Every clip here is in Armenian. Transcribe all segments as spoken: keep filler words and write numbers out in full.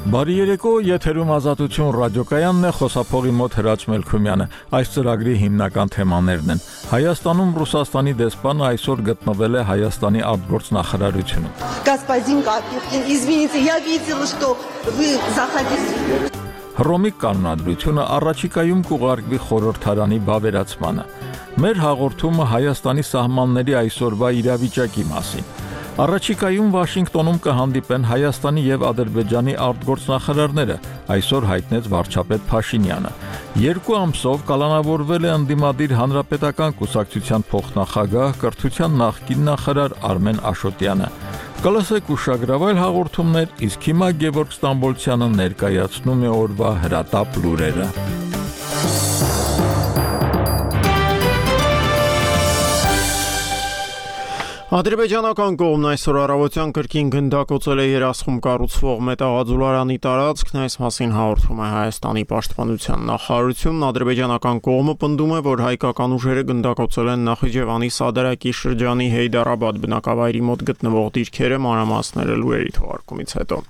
Բարի երեկո, եթերում Ազատություն ռադիոկայանն է, խոսափողի մոտ Հրաչ Մելքումյանը։ Այս ծրագրի հիմնական թեմաներն են. Հայաստանում Ռուսաստանի դեսպանը այսօր գտնվել է Հայաստանի արտգործնախարարությունում։ Господин Капюхин, извините, я видела, что вы заходили. Հռոմի կանոնադրությունը առաջիկայում կուղարկվի խորհրդարանի բավերացմանը։ Մեր հաղորդումը Հայաստանի սահմանների այսօրվա իրավիճակի մասին։ Առաջիկայում Վաշինգտոնում կհանդիպեն Հայաստանի եւ Ադրբեջանի արտգործնախարարները, այսօր հայտնեց վարչապետ Փաշինյանը։ Երկու ամսով կալանավորվել է ընդդիմադիր հանրապետական կուսակցության փոխնախագահ, կրթության նախկին նախարար Արմեն Աշոտյանը։ Կլսեք ուշագրավայր հաղորդումներ, իսկ հիմա Գևորգ Ստամբոլցյանը ներկայացնում է օրվա հրատապ լուրերը։ Ադրբեջանական կողմն այսօր առավոտյան կրկին գնդակոծել է երասխում կառուցվող մետաղաձուլարանի տարածքն, այս մասին հաղորդում է Հայաստանի պաշտպանության նախարարությունն։ Ադրբեջանական կողմը պնդում է, որ հայկական ուժերը գնդակոծել են Նախիջևանի Սադարակի շրջանի Հեյդարաբադ բնակավայրի մոտ գտնվող դիրքերը, մանրամասները լուրերի թողարկումից հետո։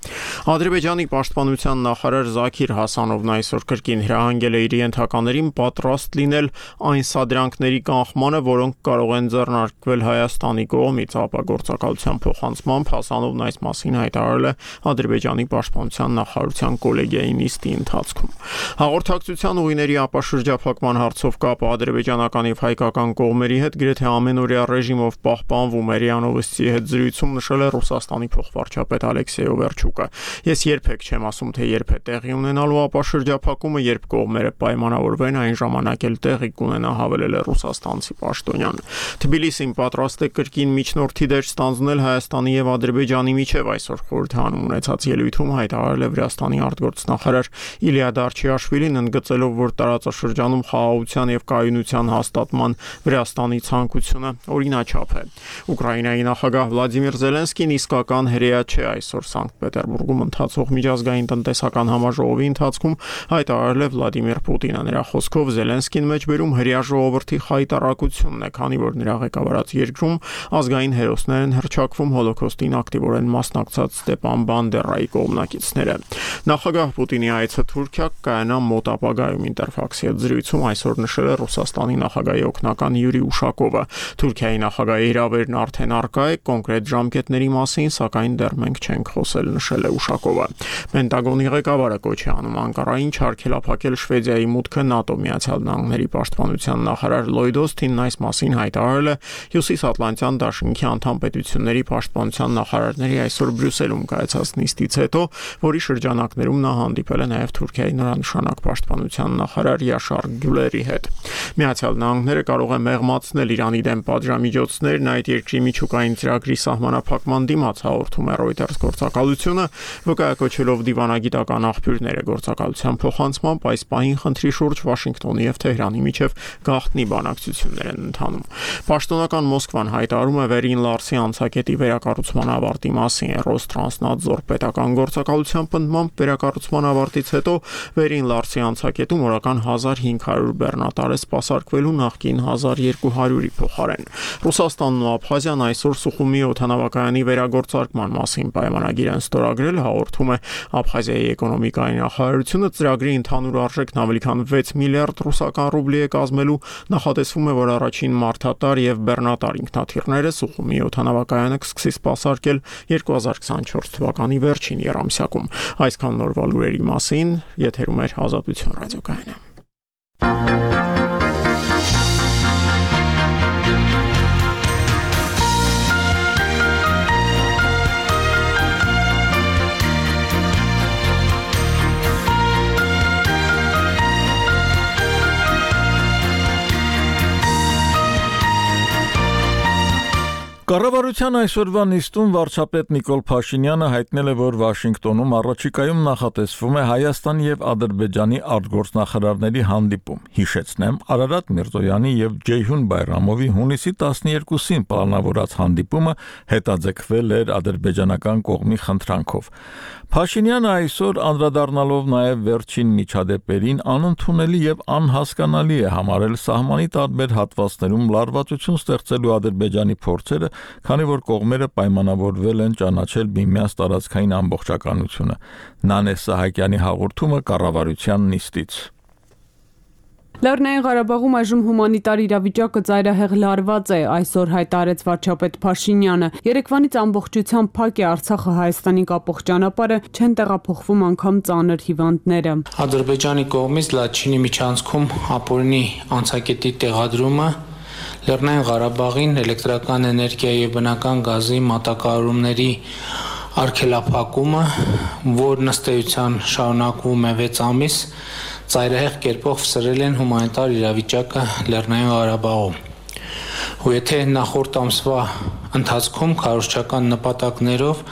Ադրբեջանի պաշտպանության նախարար Զաքիր Հասանովն այսօր կրկին հրահանգել է իր ենթականերին պատրաստ լինել այն սադրանքների կանխմանը, որոնք կարող են ձեռնարկվել Հայաստանի կողմից ապագործակալության փոխանցմամբ։ Հասանովն այս մասին հայտարարել է Ադրբեջանի պաշտպանության նախարարության կոլեգիայի նիստի ընթացքում։ Հաղորդակցության ուղիների ապաշրջափակման հարցով կապը ադրբեջանական եւ հայկական կողմերի հետ գրեթե ամենօրյա ռեժիմով պահպանվում է, Ռիանովսի հետ զրույցում նշել է Ռուսաստանի փոխվարչապետ Ալեքսեյ Օվերչուկը։ Ես երբեք չեմ ասում, թե երբ է տեղի ունենալու ապաշրջափակումը, երբ կողմերը պայմանավորվեն, այն ժամանակ էլ տեղի կունենա, հավելել է ռուսաստանցի պաշտոնյան։ Թբիլիսին պատրաստ է կրկին միջնորդի դեր ստանձնել Հայաստանի եւ Ադրբեջանի միջև, այսօր խորհրդանում ունեցած ելույթում հայտարարել է Վրաստանի արտգործնախարար Իլիա Դարչիաշվիլին, ընդգծելով, որ տարածաշրջանում խաղաղության եւ կայունության հաստատման Վրաստանի ցանկությունը օրինաչափ է։ Ուկրաինայի նախագահ Վլադիմիր Զելենսկին իսկական հրեա չէ, այսօր Սանկտ Պետերբուրգում ընթացող միջազգային տնտեսական համաժողովի ընթացքում հայտարարել է Վլադիմիր Պուտինը։ Նրա խոսքով Զելենսկին մեջբերում հրեա ժողովրդի խայտառակությունն է, քանի որ նրա ղեկավարած երկրում ազգային հերոսներ են հռչակվում հոլոքոստին ակտիվորեն մասնակցած Ստեպան Բանդերայի կողմնակիցները։ Նախագահ Պուտինի այցը Թուրքիա կայանա մոտ ապագայում, Ինտերֆաքսի հետ զրույցում այսօր նշել է Ռուսաստանի նախագահի օգնական Յուրի Ուշակովը։ Թուրքիայի նախագահի հրավերն արդեն առկա է, կոնկրետ ժամկետների մասին, սակայն դեռ մենք չենք խոսել, նշել է Ուշակովը։ Պենտագոնի ղեկավարը կոչ է անում Անկարային չարգելափակել Շվեդիայի մուտքը ՆԱՏՕ Միացյալ Նահանգների պաշտպանության նախարար Լոյդ Օսթինն այս մասին հայտարարել է Հյուսիսատլանտյան դաշինքի անդամ պետությունների պաշտպանության նախարարների այսօր Բրյուսելում կայացած նիստից հետո, որի շրջանակներում նա հանդիպել է նաև Թուրքիայի նորանշանակ պաշտպանության նախարար Յաշար Գյուլերի հետ։ Միացյալ Նահանգները կարող է մեղմացնել Իրանի դեմ պատժամիջոցներն այդ երկրի միջուկային ծրագրի սահմանափակման դիմաց, հաղորդում է Reuters գործակալությունը, վկայակոչելով դիվանագիտական աղբյուրները գործակալության փոխանցմամբ այս պահին խնդրի շուրջ Վաշինգտոնի եւ Թեհրանի միջև գաղտնի բանակցություններ են ընթանում։ Պաշտոնական Մոսկվան հայտարարում է Վերին Լարսի անցակետի վերակառուցման ավարտի մասին։ Ռոստրանսնադզոր պետական գործակալության պնդմամբ վերակառուցման ավարտից հետո Վերին Լարսի անցակետում օրական հազար հինգ հարյուր բեռնատար է սպասարկվելու նախկին հազար երկու հարյուրի փոխարեն։ Ռուսաստանն ու Աբխազիան այսօր Սուխումի օդանավակայանի վերագործարկման մասին պայմանագիր են ստորագրել, հաղորդում է Աբխազիայի էկոնոմիկայի նախարարությունը։ Ծրագրի ընդհանուր արժեքն ավելի քան վեց միլիարդ ռուսական ռուբլի է կազմելու։ Նախատեսվում է, որ առաջին մարդատար եւ բեռնատար ինքնաթիռները Սուխումի օդանավակայանը կսկսի սպասարկել երկու հազար քսանչորս թվականի վերջին եռամսյակում։ Այսքան նորվա լուրերի մասին, եթերում է Ազատություն ռադիոկայանը։ Կառավարության այսօրվա նիստում վարչապետ Նիկոլ Փաշինյանը հայտնել է, որ Վաշինգտոնում առաջիկայում նախատեսվում է Հայաստանի եւ Ադրբեջանի արտգործնախարարների հանդիպում։ Հիշեցնեմ, Արարատ Միրզոյանի եւ Ջեյհուն Բայրամովի հունիսի տասներկուսին պլանավորած հանդիպումը հետաձգվել էր ադրբեջանական կողմի խնդրանքով։ Փաշինյանը այսօր անդրադառնալով նաև վերջին միջադեպերին անընդունելի եւ անհասկանալի է համարել սահմանի տարբեր հատվածներում լարվածություն ստեղծելու Ադրբեջանի փորձերը, քանի որ կողմերը պայմանավորվել են ճանաչել միմյանց տարածքային ամբողջականությունը։ Նանե Սահակյանի հաղորդումը կառավարության նիստից։ Լեռնային Ղարաբաղում այժմ հումանիտար իրավիճակը ծայրահեղ լարված է, այսօր հայտարարեց վարչապետ Փաշինյանը։ Երեկվանից ամբողջությամբ փակ է Արցախը Հայաստանի կապող ճանապարհը, չեն տեղափոխվում անգամ ծանր հիվանդները։ Ադրբեջանի կողմից Լաչինի միջանցքում ապօրինի անցակետի տեղադրումը, Լեռնային Ղարաբաղին էլեկտրական էներգիայի եւ բնական գազի մատակարարումների արգելափակումը, որն ըստ էության շարունակվում է վեց ամիս, ծայրահեղ կերպով սրել են հումանիտար իրավիճակը Լեռնային Ղարաբաղում։ Ու եթե նախորդ ամսվա ընթացքում քարոզչական նպատակներով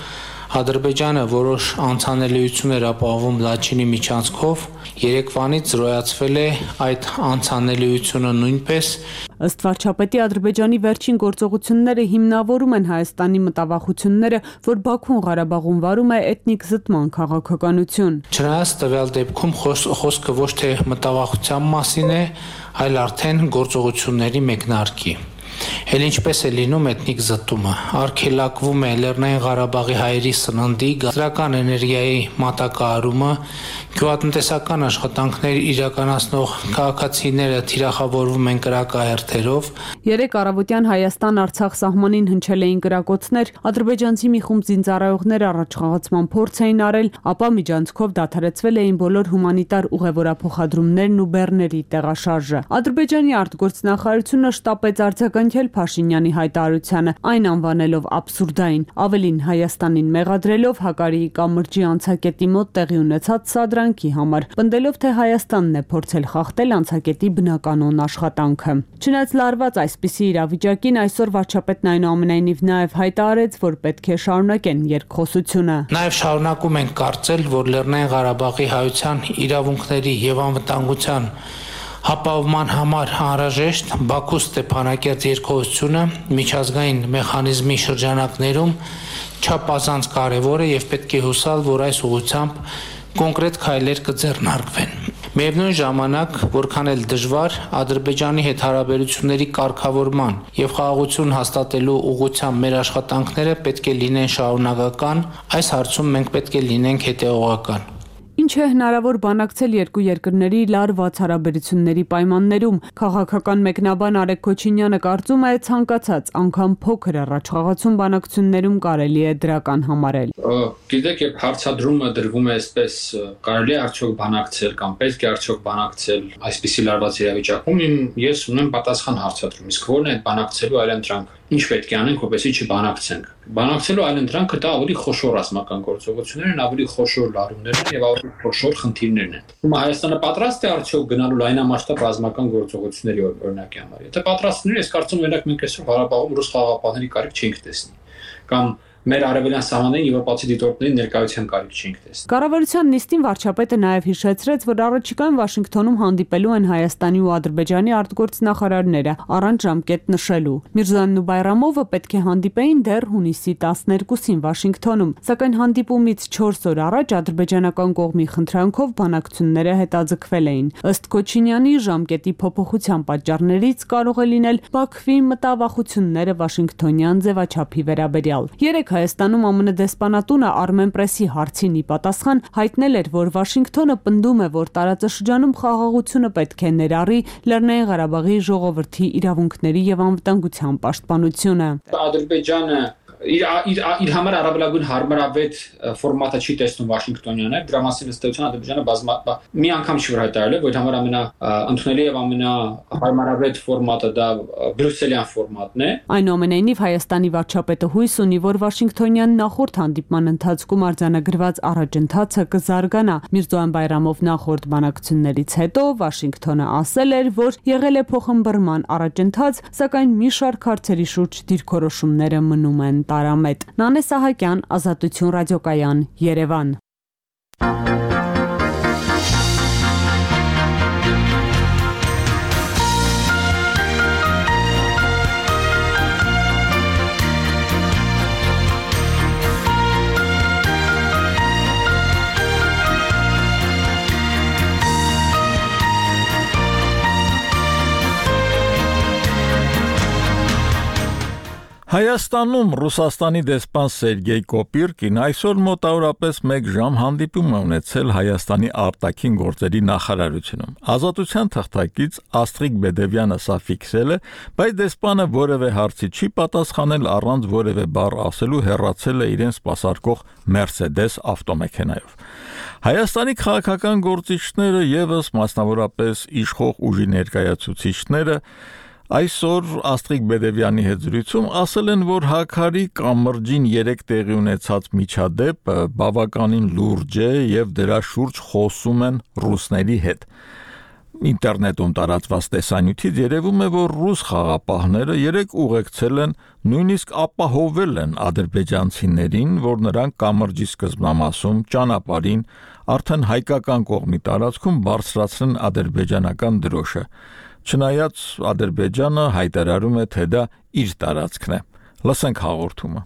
Ադրբեջանը որոշ անցանելիություններ ապահովում Լաչինի միջանցքով, երեկվանից զրոյացվել է այդ անցանելիությունը նույնպես։ Ըստ վարչապետի, Ադրբեջանի վերջին գործողությունները հիմնավորում են Հայաստանի մտավախությունները, որ Բաքուն Ղարաբաղում վարում է էթնիկ զտման քաղաքականություն։ Չնայած տվյալ դեպքում խոսքը ոչ թե մտավախության մասին է, այլ արդեն գործողությունների մեկնարկի։ Էլ ինչպես է լինում էթնիկ զտումը, արգելակվում է Լեռնային Ղարաբաղի հայերի սննդի, գազրական էներգիայի մատակարարումը, գյուղատնտեսական աշխատանքներ իրականացնող քաղաքացիները թիրախավորվում են կրակահերթերով։ Երեկ առավոտյան Հայաստան-Արցախ սահմանին հնչել էին կրակոցներ, ադրբեջանցի մի խումբ զինծառայողներ առաջխաղացման փորձ էին արել, ապա միջանցքով դադարեցվել էին բոլոր հումանիտար ուղևորափոխադրումներն ու բեռների տեղաշարժը։ Ադրբեջանի արտգործնախարարությունը շտապեց արձագանքել Փաշինյանի հայտարարությանը, այն անվանելով աբսուրդային, ավելին Հայաստանին մեղադրելով Հակարիի կամրջի անցակետի մոտ տեղի ունեցած սադրանքի համար, պնդելով թե Հայաստանն է փորձել խախտել անցակետի բնականոն աշխատանքը։ Չնայած լարված այսպիսի իրավիճակին, այսօր վարչապետն այնուամենայնիվ նաև հայտարարեց, որ պետք է շարունակեն երկխոսությունը։ Նաև շարունակում են կարծել, որ Լեռնային Ղարաբաղի հայության իրավունքների եւ անվտանգության հապավման համար անհրաժեշտ Բաքու Ստեփանակերտ երկխոսությունը միջազգային մեխանիզմի շրջանակներում չափազանց կարևոր է եւ պետք է հուսալ, որ այս ուղղությամբ կոնկրետ քայլեր կձեռնարկվեն։ Միևնույն ժամանակ, որքան էլ դժվար, Ադրբեջանի հետ հարաբերությունների կարգավորման եւ խաղաղություն հաստատելու ուղղությամբ մեր աշխատանքները պետք է լինեն շարունակական, այս հարցում մենք պետք է լինենք հետեւողական։ Ինչ է հնարավոր բանակցել երկու երկրների լարված հարաբերությունների պայմաններում։ Քաղաքական մեկնաբան Արեգ Քոչինյանը կարծում է, ցանկացած անգամ փոքր առաջխաղացում բանակցություններում կարելի է դրական համարել։ Գիտեք, երբ հարցադրումը դրվում է այսպես, կարելի է արդյոք բանակցել կամ պետք է արդյոք բանակցել այսպիսի լարված իրավիճակում, ես ունեմ պատասխան հարցադրում, իսկ որն է այդ բանակցելու այլընտրանքը։ Ինչ պետք է անենք, որպեսզի չբանակցենք։ Բանակցելու այլընտրանքը դա ավելի խոշոր ռազմական գործողություններ են, ավելի խոշոր լարումներ են եւ ավելի խոշոր խնդիրներ են։ Հիմա Հայաստանը պատրաստ է արդյոք գնալու լայնամասշտաբ ռազմական գործողությունների օրինակի համար։ Եթե պատրաստ լինի, ես կարծում եմ, օրինակ մենք այսօր Ղարաբաղում ռուս խաղաղապահների կարիք չենք տեսնի։ Կամ մեր արևելյան սահմաններին եվրոպացի դիտորդների ներկայության կարիք չենք տեսնի։ Կառավարության նիստին վարչապետը նաև հիշեցրեց, որ առաջիկայում Վաշինգտոնում հանդիպելու են Հայաստանի ու Ադրբեջանի արտգործնախարարները, առանց ժամկետ նշելու։ Միրզոյանն ու Բայրամովը պետք է հանդիպեին դեռ հունիսի տասներկուսին Վաշինգտոնում, սակայն հանդիպումից չորս օր առաջ ադրբեջանական կողմի խնդրանքով բանակցությունները հետաձգվել էին։ Ըստ Քոչինյանի, ժամկետի փոփոխության պատճառներից կարող է լինել Բաքվի մտավախությունները Վաշինգտոնյան ձևաչափի վերաբերյալ։ Երեկ Հայաստանում ԱՄՆ դեսպանատունը Armen Press-ի հարցին ի պատասխան հայտնել էր, որ Վաշինգտոնը պնդում է, որ տարածաշրջանում խաղաղությունը պետք է ներառի Լեռնային Ղարաբաղի ժողովրդի իրավունքների եւ անվտանգության պաշտպանությունը։ Ադրբեջանը իր իր իր համար առավելագույն հարմարավետ ֆորմատը չի տեսնում Վաշինգտոնյանը, դրա մասին ըստ էության Ադրբեջանը բազմա մի անգամ չի հայտարարել, որ համար ամենա ընդունելի եւ ամենահարմարավետ ֆորմատը դա բրյուսելյան ֆորմատն է։ Այնուամենայնիվ Հայաստանի վարչապետը հույս ունի, որ Վաշինգտոնյան նախորդ հանդիպման ընթացքում արձանագրված առաջընթացը կզարգանա։ Միրզոյան Բայրամով նախորդ բանակցություններից հետո Վաշինգտոնը ասել էր, որ եղել է փոխըմբռնման առաջընթաց, սակայն մի շարք հարցերի շուրջ դիրքորոշումները մնում են տարամետ։ Նանե Սահակյան, Ազատություն ռադիոկայան, Երևան։ Հայաստանում Ռուսաստանի դեսպան Սերգեյ Կոպիրկին այսօր մոտավորապես մեկ ժամ հանդիպում է ունեցել Հայաստանի արտաքին գործերի նախարարությունում։ Ազատության թղթակից Աստրիկ Բեդևյանը սա ֆիքսել է, բայց դեսպանը որևէ հարցի չի պատասխանել առանց որևէ բառ ասելու հեռացել է իրեն սպասարկող Mercedes ավտոմեքենայով։ Հայաստանի քաղաքական գործիչները եւս մասնավորապես իշխող ուժի ներկայացուցիչները այսօր Աստրիկ Բեդևյանի հետ զրույցում ասել են, որ Հաքարի կամրջին երեք տեղի ունեցած միջադեպը բավականին լուրջ է եւ դրա շուրջ խոսում են ռուսների հետ։ Ինտերնետում տարածված տեսանյութից երևում է, որ ռուս խաղապահները երեք ուղեկցել են, նույնիսկ ապահովել են ադրբեջանցիներին, որ նրանք կամրջի սկզբնամասում ճանապարհին արդեն հայկական կողմի տարածքում բարձրացրեն ադրբեջանական դրոշը։ Չնայած Ադրբեջանը հայտարարում է, թե դա իր տարածքն է։ Լսենք հաղորդումը։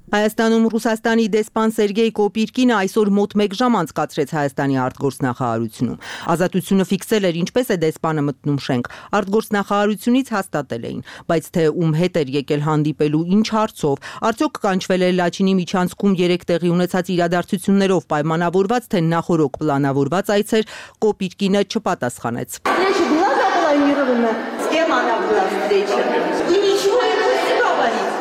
Հայաստանում Ռուսաստանի դեսպան Սերգեյ Կոպիրկինը այսօր մոտ մեկ ժամ անցկացրեց Հայաստանի արտգործնախարարությունում։ Ազատությունը ֆիքսել էր, ինչպես է դեսպանը մտնում շենք։ Արտգործնախարարությունից հաստատել էին, բայց թե ում հետ էր եկել հանդիպելու, ինչ հարցով, արդյոք կանչվել էր Լաչինի միջանցքում երեք տեղի ունեցած իրադարձություններով պայմանավորված, թե նախորոք պլանավորված այցեր, Կոպիրկինը չպատասխանեց։ С кем она была встреча? Вы ничего не будете говорить?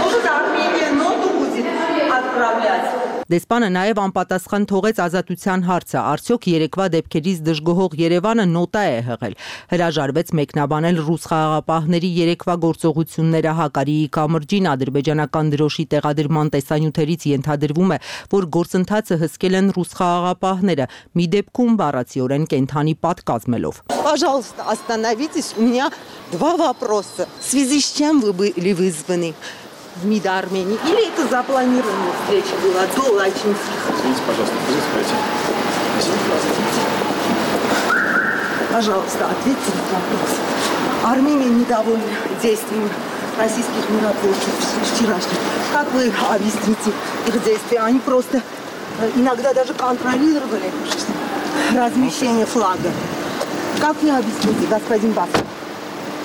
Может, Армения ноту будет отправлять? Դեսպանը նաև անպատասխան թողեց ազատության հարցը, արդյոք երեկվա դեպքերից դժգոհող Երևանը նոտա է հղել։ Հրաժարվեց մեկնաբանել ռուս խաղաղապահների երեկվա գործողությունները Հակարիի կամրջին ադրբեջանական դրոշի տեղադրման տեսանյութերից ենթադրվում է, որ գործընթացը հսկել են ռուս խաղաղապահները, մի դեպքում բառացիորեն կենթանի պատ կազմելով։ Пожалуйста, остановитесь, у меня два вопроса. В связи с чем вы были вызваны в МИД Армении? Или это запланированная встреча была до Лачинских? Извините, пожалуйста, спасибо. Пожалуйста, ответьте на вопрос. Армения недовольна действиями российских миротворцев вчерашних. Как вы объясните их действия? Они просто иногда даже контролировали размещение флага. Как вы объясните, господин Басов?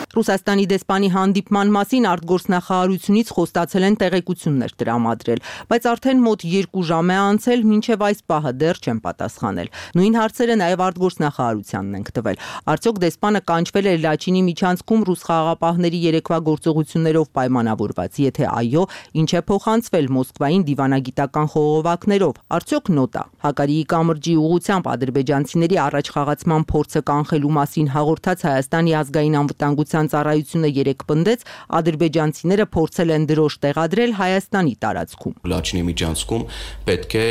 Ռուսաստանի դեսպանի հանդիպման մասին արտգործնախարարությունից խոստացել են տեղեկություններ տրամադրել, բայց արդեն մոտ երկու ժամ է անցել, մինչև այս պահը դեռ չեն պատասխանել։ Նույն հարցերը նաև արտգործնախարարությանն են տվել։ Արդյոք դեսպանը կանչվել էր Լաչինի միջանցքում ռուս խաղաղապահների երեկվա գործողություններով պայմանավորված, եթե այո, ինչ է փոխանցվել Մոսկվային դիվանագիտական խողովակներով, արդյոք նոտա։ Հակարիի կամրջի ուղղությամբ ադրբեջանցիների առաջ խաղացման փորձը կանխելու մասին հաղորդած Հայաստանի ազգային անվտանգության ծառայությունը երեք պնդեց, ադրբեջանցիները փորձել են դրոշ տեղադրել Հայաստանի տարածքում։ Լաչինի միջանցքում պետք է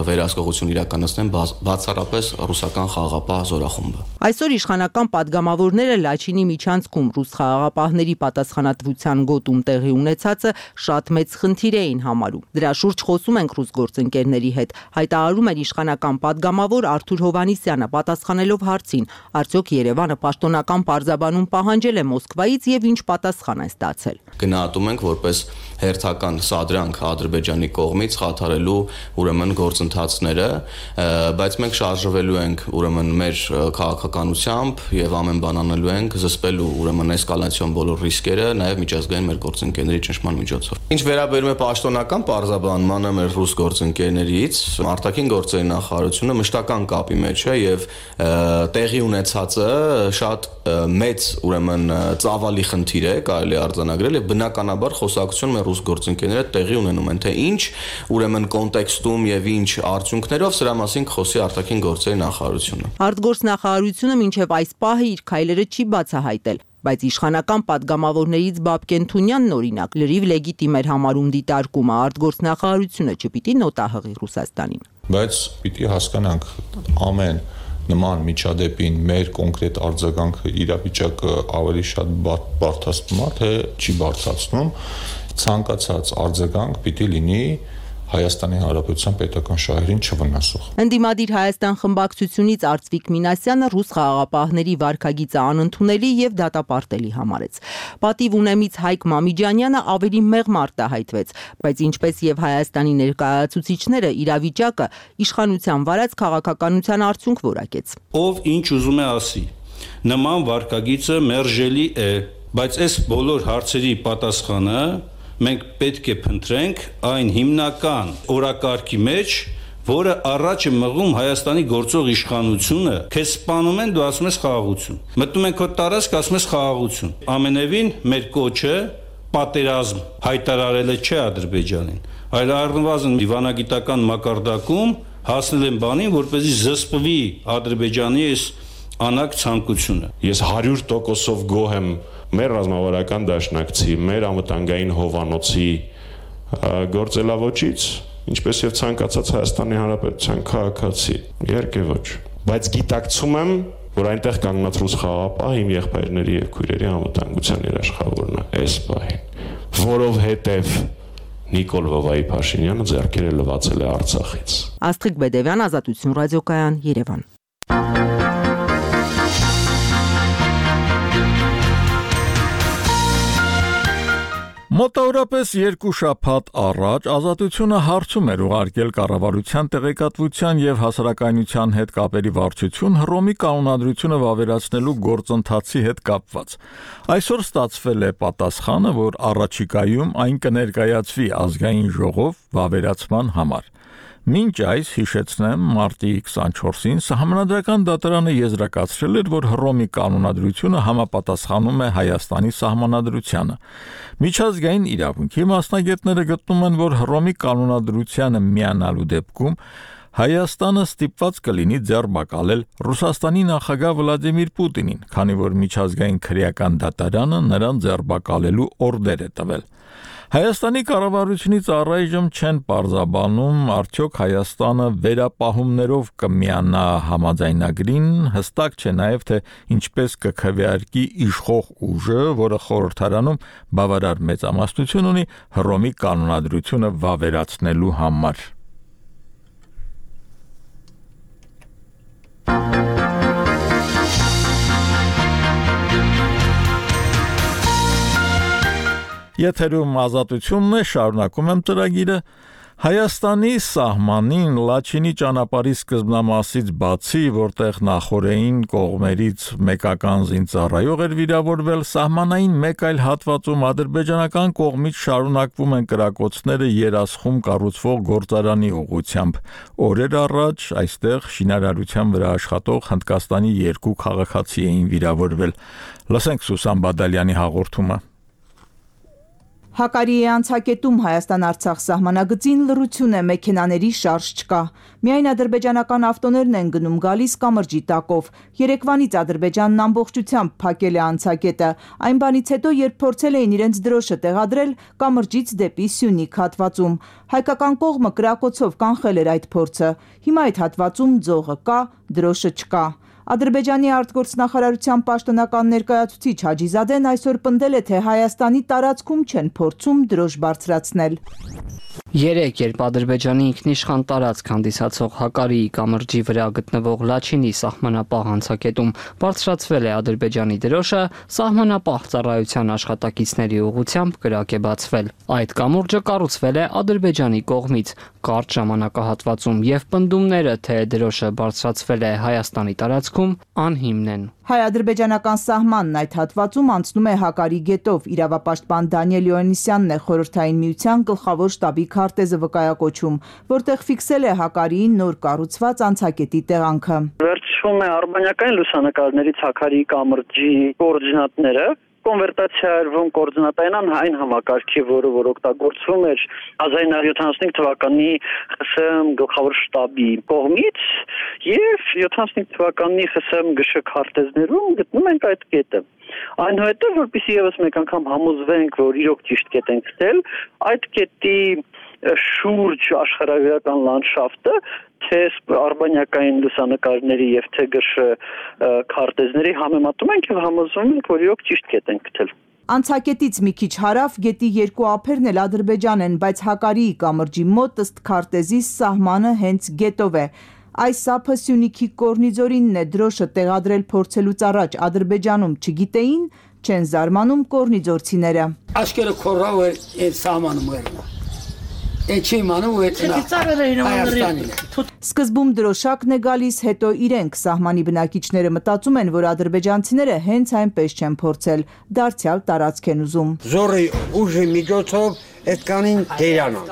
վերահսկողություն իրականացնեն բացառապես ռուսական խաղաղապահ զորախումբը։ Այսօր իշխանական падգամավորները Լաչինի միջանցքում ռուս խաղաղապահների պատասխանատվության գոտում տեղի ունեցածը շատ մեծ խնդիր էին համարում։ Դրա շուրջ խոսում ենք ռուս գործընկերների հետ, հայտարարում էր իշխանական падգամավոր Արթուր Հովհաննիսյանը պատասխանելով հարցին, արդյոք Երևանը պաշտոնական պարզաբանում պահանջել է Մոսկվայից եւ ինչ պատասխան է ստացել։ Գնահատում ենք որպես հերթական սադրանք Ադրբեջանի կողմից խաթարելու ուրեմն գործընթացները, բայց մենք շարժվելու ենք ուրեմն մեր քաղաքականությամբ եւ ամեն բան անելու ենք զսպելու ուրեմն էսկալացիոն բոլոր ռիսկերը, նաեւ միջազգային մեր գործընկերների ճնշման միջոցով։ Ինչ վերաբերում է պաշտոնական պարզաբանմանը մեր ռուս գործընկերներից, արտաքին գործերի նախարարությունը մշտական կապի մեջ է եւ տեղի ունեցածը շատ մեծ ուրեմն ծավալի խնդիր է, կարելի արձանագրել եւ բնականաբար խոսակցություն մեր ռուս գործընկերները տեղի ունենում են, թե ինչ ուրեմն կոնտեքստում եւ ինչ արդյունքներով սրա մասին կխոսի արտաքին գործերի նախարարությունը։ Արտգործնախարարությունը մինչեւ այս պահը իր քայլերը չի բացահայտել, բայց իշխանական падգամավորներից Բաբկեն Թունյանն օրինակ լրիվ լեգիտիմ էր համարում դիտարկումը, արտգործնախարարությունը չպիտի նոտա հղի Ռուսաստանին։ Բայց պիտի հասկանանք ամեն նման միջադեպին մեր կոնկրետ արձագանքը իրավիճակը ավելի շատ բարդացնում է, թե չի բարդացնում, ցանկացած արձագանք պիտի լինի Հայաստանի Հանրապետության պետական շահերին չվնասող։ Ընդդիմադիր Հայաստան խմբակցությունից Արծվիկ Մինասյանը ռուս խաղաղապահների վարքագիծը անընդունելի եւ դատապարտելի համարեց։ Պատիվ ունեմից Հայկ Մամիջանյանը ավելի մեղմ արտահայտվեց, բայց ինչպես եւ Հայաստանի ներկայացուցիչները իրավիճակը իշխանության վարած քաղաքականության արդյունք որակեց։ Ով ինչ ուզում է ասի, նման վարքագիծը մերժելի է բայց այս բոլոր հարցերի պատասխանը մենք պետք է փնտրենք այն հիմնական օրակարգի մեջ, որը առաջ է մղում Հայաստանի գործող իշխանությունը, քեզ սպանում են, դու ասում ես խաղաղություն։ Մտնում են քո տարածք, ասում ես խաղաղություն։ Ամենևին մեր կոչը պատերազմ հայտարարելը չէ Ադրբեջանին, այլ առնվազն դիվանագիտական մակարդակում հասնել են բանին, որպեսզի զսպվի Ադրբեջանի այս անակ ցանկությունը։ Ես հարյուր տոկոսով գոհ եմ մեր ռազմավարական դաշնակցի, մեր անվտանգային հովանոցի գործելավոճից, ինչպես եւ ցանկացած Հայաստանի Հանրապետության քաղաքացի, իհարկե ոչ, բայց գիտակցում եմ, որ այնտեղ կանգնած ռուս խաղապահ իմ եղբայրների եւ քույրերի անվտանգության երաշխավորն է այս պահին, որովհետեւ Նիկոլ Վովայի Փաշինյանը ձեռքերը լվացել է Արցախից։ Աստղիկ Բեդևյան, Ազատություն ռադիոկայան, Երևան։ Մոտավորապես երկու շաբաթ առաջ Ազատությունը հարցում էր ուղարկել կառավարության տեղեկատվության եւ հասարակայնության հետ կապերի վարչություն Հռոմի կանոնադրությունը վավերացնելու գործընթացի հետ կապված։ Այսօր ստացվել է պատասխանը, որ առաջիկայում այն կներկայացվի ազգային ժողով վավերացման համար։ Մինչ այս հիշեցնեմ, մարտի քսանչորսին Սահմանադրական դատարանը եզրակացրել էր, որ Հռոմի կանոնադրությունը համապատասխանում է Հայաստանի սահմանադրությանը։ Միջազգային իրավունքի մասնագետները գտնում են, որ Հռոմի կանոնադրությանը միանալու դեպքում Հայաստանը ստիպված կլինի ձեռբակալել Ռուսաստանի նախագահ Վլադիմիր Պուտինին, քանի որ միջազգային քրեական դատարանը նրան ձեռբակալելու օրդեր է տվել։ Հայաստանի կառավարությունից առայժմ չեն պարզաբանում, արդյոք Հայաստանը վերապահումներով կմիանա համաձայնագրին, հստակ չէ նաև, թե ինչպես կքվեարկի իշխող ուժը, որը խորհրդարանում բավարար մեծամասնություն ունի Հռոմի կանոնադրությունը վավերացնելու համար։ Եթերում Ազատությունն է, շարունակում եմ ծրագիրը։ Հայաստանի սահմանին Լաչինի ճանապարհի սկզբնամասից բացի, որտեղ նախորդային կողմերից մեկական զինծառայող էր վիրավորվել, սահմանային մեկ այլ հատվածում ադրբեջանական կողմից շարունակվում են կրակոցները Երասխում կառուցվող գործարանի ուղղությամբ։ Օրեր առաջ այստեղ շինարարության վրա աշխատող Հնդկաստանի երկու քաղաքացի էին վիրավորվել։ Լսենք Սուսան Բադալյանի հաղորդումը։ Հակարիի անցակետում Հայաստան-Արցախ սահմանագծին լռություն է, մեքենաների շարժ չկա։ Միայն ադրբեջանական ավտոներն են գնում գալիս կամրջի տակով։ Երեկվանից Ադրբեջանն ամբողջությամբ փակել է անցակետը։ Այն բանից հետո, երբ փորձել էին իրենց դրոշը տեղադրել կամրջից դեպի Սյունիք հատվածում։ Հայկական կողմը կրակոցով կանխել էր այդ փորձը։ Հիմա այդ հատվածում ձողը կա, դրոշը չկա։ Ադրբեջանի արտգործնախարարության պաշտոնական ներկայացուցիչ Հաջիզադեն այսօր պնդել է, թե Հայաստանի տարածքում չեն փորձում դրոշ բարձրացնել։ Երեկ, երբ Ադրբեջանի ինքնիշխան տարածք հանդիսացող Հակարիի կամրջի վրա գտնվող Լաչինի սահմանապահ անցակետում բարձրացվել է Ադրբեջանի դրոշը, սահմանապահ ծառայության աշխատակիցների ուղղությամբ կրակ է բացվել։ Այդ կամուրջը կառուցվել է Ադրբեջանի կողմից կարճ ժամանակահատվածում եւ պնդումները, թե դրոշը բարձրացվել է Հայաստանի տարածքում, անհիմն են։ Հայ-ադրբեջանական սահմանն այդ հատվածում անցնում է Հակարի գետով։ Իրավապաշտպան Դանիել Յոհաննիսյանն է Խորհրդային Միության գլխավոր շտաբի քարտեզը վկայակոչում, որտեղ ֆիքսել է Հակարիի նոր կառուցված անցակետի տեղանքը։ Վերջում է արբանյակային լուսանկարներից Հակարիի կամրջի կոորդինատները, կոնվերտացիա արվում կոորդինատային այն համակարգի, որը որ օգտագործվում էր հազար նույնսուն յոթանասունհինգ թվականի ԽՍՀՄ գլխավոր շտաբի կողմից եւ յոթանասունհինգ թվականի ԽՍՀՄ ԳՇ քարտեզներում գտնում ենք այդ կետը։ Այնուհետև, որպեսզի եւս մեկ անգամ համոզվենք, որ իրոք ճիշտ կետ ենք գտել, այդ կետի շուրջ աշխարհագրական լանդշաֆտը թե արբանյակային լուսանկարների եւ թե ԳՇ քարտեզների համեմատում ենք եւ համոզվում ենք, որ իրոք ճիշտ կետ ենք գտել։ Անցակետից մի քիչ հարավ գետի երկու ափերն էլ Ադրբեջան են, բայց Հակարիի կամրջի մոտ ըստ քարտեզի սահմանը հենց գետով է։ Այս ափը Սյունիքի Կորնիձորինն է, դրոշը տեղադրել փորձելուց առաջ Ադրբեջանում չգիտեին, չեն զարմանում կորնիձորցիները։ Աշկերը քորավ էր այդ սահմանում էր։ Սկզբում դրոշակն է գալիս, հետո իրենք սահմանի բնակիչները մտածում են, որ ադրբեջանցիները հենց այնպես չեն փորձել, դարձյալ տարածք են ուզում։ Զորի ուժի միջոցով այդ կանին դերանան,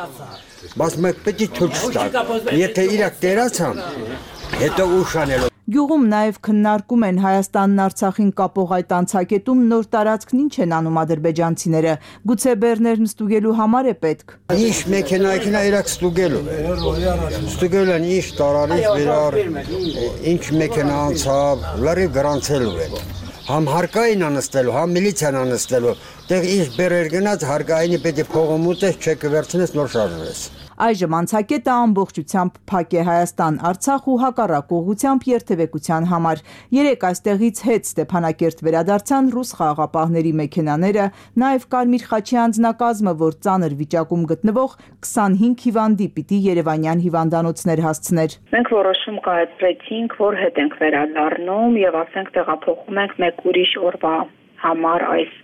բայց մեկ պետք է թույլ տալ, եթե իրակ դերացան, հետո ուշանելով։ Գյուղում նաև քննարկում են Հայաստանն Արցախին կապող այդ անցակետում նոր տարածքն ինչ են անում ադրբեջանցիները, գուցե բեռներն ստուգելու համար է պետք։ Ինչ մեքենա իրակ ստուգելու է, ստուգելու են ինչ տարանից վերար, ինչ մեքենա անցավ, լրիվ գրանցելու են, համ հարկային անստելու, համ միլիցիան անստելու, տեղ ինչ բերեր գնաց, հարկայինի պետք է փողում ուտես, չեկը վերցնես, նոր շարժվես։ Այժմ անցակետը ամբողջությամբ փակ է Հայաստան-Արցախ ու հակառակ ուղղությամբ երթևեկության համար։ Երեք այստեղից հետ Ստեփանակերտ վերադարձան ռուս խաղաղապահների մեքենաները, նաև Կարմիր խաչի անձնակազմը, որ ծանր վիճակում գտնվող քսանհինգ հիվանդի պիտի երևանյան հիվանդանոցներ հասցներ։ Մենք որոշում կայացրեցինք, որ հետ ենք վերադառնում եւ ասենք տեղափոխում ենք մեկ ուրիշ օրվա համար այս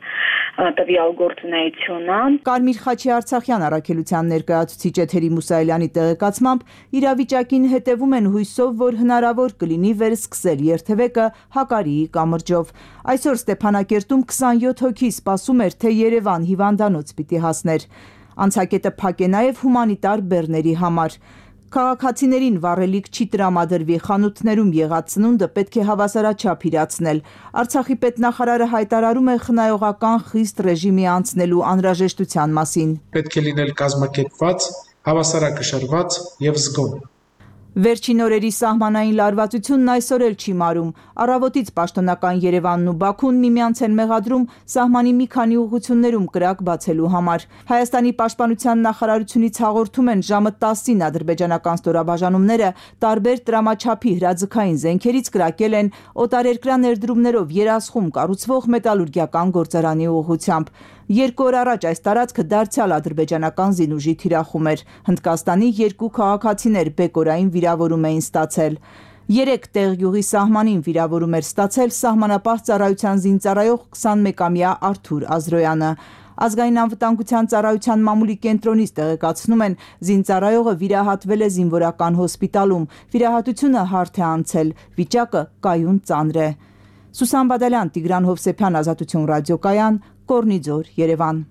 տվյալ գործունեությունը։ Կարմիր խաչի Արցախյան առաքելության ներկայացուցիչ Էթերի Մուսայելյանի տեղեկացմամբ իրավիճակին հետևում են հույսով, որ հնարավոր կլինի վերսկսել երթևեկը Հակարիի կամրջով։ Այսօր Ստեփանակերտում քսանյոթ հոգի սպասում էր, թե Երևան հիվանդանոց պիտի հասներ։ Անցակետը փակ է նաև հումանիտար բեռների համար։ Քաղաքացիներին վառելիք չի տրամադրվի, խանութներում եղած սնունդը պետք է հավասարաչափ իրացնել։ Արցախի պետնախարարը հայտարարում է խնայողական խիստ ռեժիմի անցնելու անհրաժեշտության մասին։ Պետք է լինել կազմակերպված, հավասարակշռված եւ զգոն։ Վերջին օրերի սահմանային լարվածությունն այսօր էլ չի մարում։ Առավոտից պաշտոնական Երևանն ու Բաքուն միմյանց են մեղադրում սահմանի մի քանի ուղղություններում կրակ բացելու համար։ Հայաստանի պաշտպանության նախարարությունից հաղորդում են ժամը տասին ադրբեջանական ստորաբաժանումները տարբեր տրամաչափի հրաձգային զենքերից կրակել են օտարերկրյա ներդրումներով երասխում կառուցվող մետալուրգիական գործարանի ուղղությամբ։ Երկու օր առաջ այս տարածքը դարձյալ ադրբեջանական զինուժի թիրախում էր։ Հնդկաստանի երկու քաղաքացիներ բեկորային վիրավորում էին ստացել։ Երեք տեղ յուղի սահմանին վիրավորում էր ստացել սահմանապահ ծառայության զինծառայող քսանմեկամյա Արթուր Ազրոյանը։ Ազգային անվտանգության ծառայության մամուլի կենտրոնից տեղեկացնում են, զինծառայողը վիրահատվել է զինվորական հոսպիտալում։ Վիրահատությունը հարթ է անցել, վիճակը կայուն ծանր է։ Սուսան Բադալյան, Տիգրան Հովսեփյան, Ազատություն ռադիոկայան, Կորնիձոր, Երևան։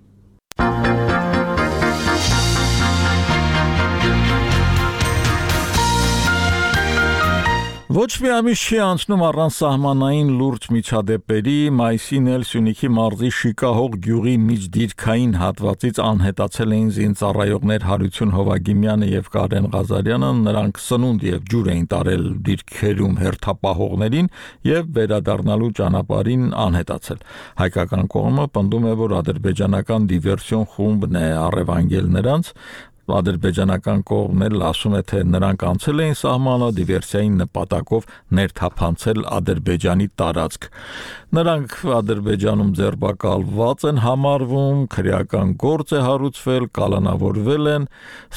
Ոչ մի ամիս չի անցնում առանց սահմանային լուրջ միջադեպերի, մայիսին էլ Սյունիքի մարզի Շիկահող գյուղի միջդիրքային հատվածից անհետացել էին զինծառայողներ Հարություն Հովագիմյանը եւ Կարեն Ղազարյանը, նրանք սնունդ եւ ջուր էին տարել դիրքերում հերթապահողներին եւ վերադառնալու ճանապարհին անհետացել։ Հայկական կողմը պնդում է, որ ադրբեջանական դիվերսիոն խումբն է առևանգել նրանց։ Ադրբեջանական կողմն էլ ասում է, թե նրանք անցել էին սահմանը դիվերսիայի նպատակով ներթափանցել Ադրբեջանի տարածք։ Նրանք Ադրբեջանում ձերբակալված են համարվում, քրեական գործ է հարուցվել, կալանավորվել են,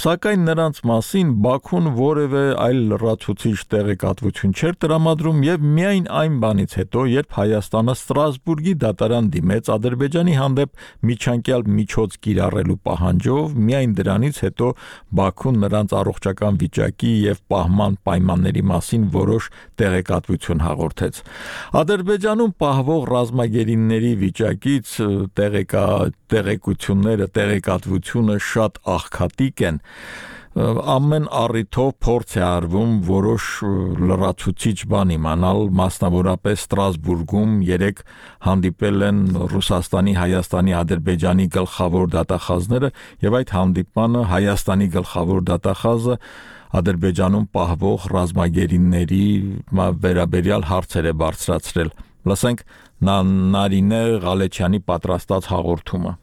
սակայն նրանց մասին Բաքուն որևէ այլ լրացուցիչ տեղեկատվություն չէր տրամադրում եւ միայն այն բանից հետո, երբ Հայաստանը Ստրասբուրգի դատարան դիմեց Ադրբեջանի հանդեպ միջանկյալ միջոց կիրառելու պահանջով, միայն դրանից հետո Բաքուն նրանց առողջական վիճակի եւ պահման պայմանների մասին որոշ տեղեկատվություն հաղորդեց։ Ադրբեջանում պահվող ռազմագերիների վիճակից տեղեկա տեղեկությունները, տեղեկատվությունը շատ աղքատիկ են։ Ամեն առիթով փորձ է արվում որոշ լրացուցիչ բան իմանալ, մասնավորապես Ստրասբուրգում երեք հանդիպել են Ռուսաստանի, Հայաստանի, Ադրբեջանի գլխավոր դատախազները եւ այդ հանդիպմանը Հայաստանի գլխավոր դատախազը Ադրբեջանում պահվող ռազմագերիների վերաբերյալ հարցեր է բարձրացրել։ Լսենք Նարինե Ղալեչյանի պատրաստած հաղորդումը։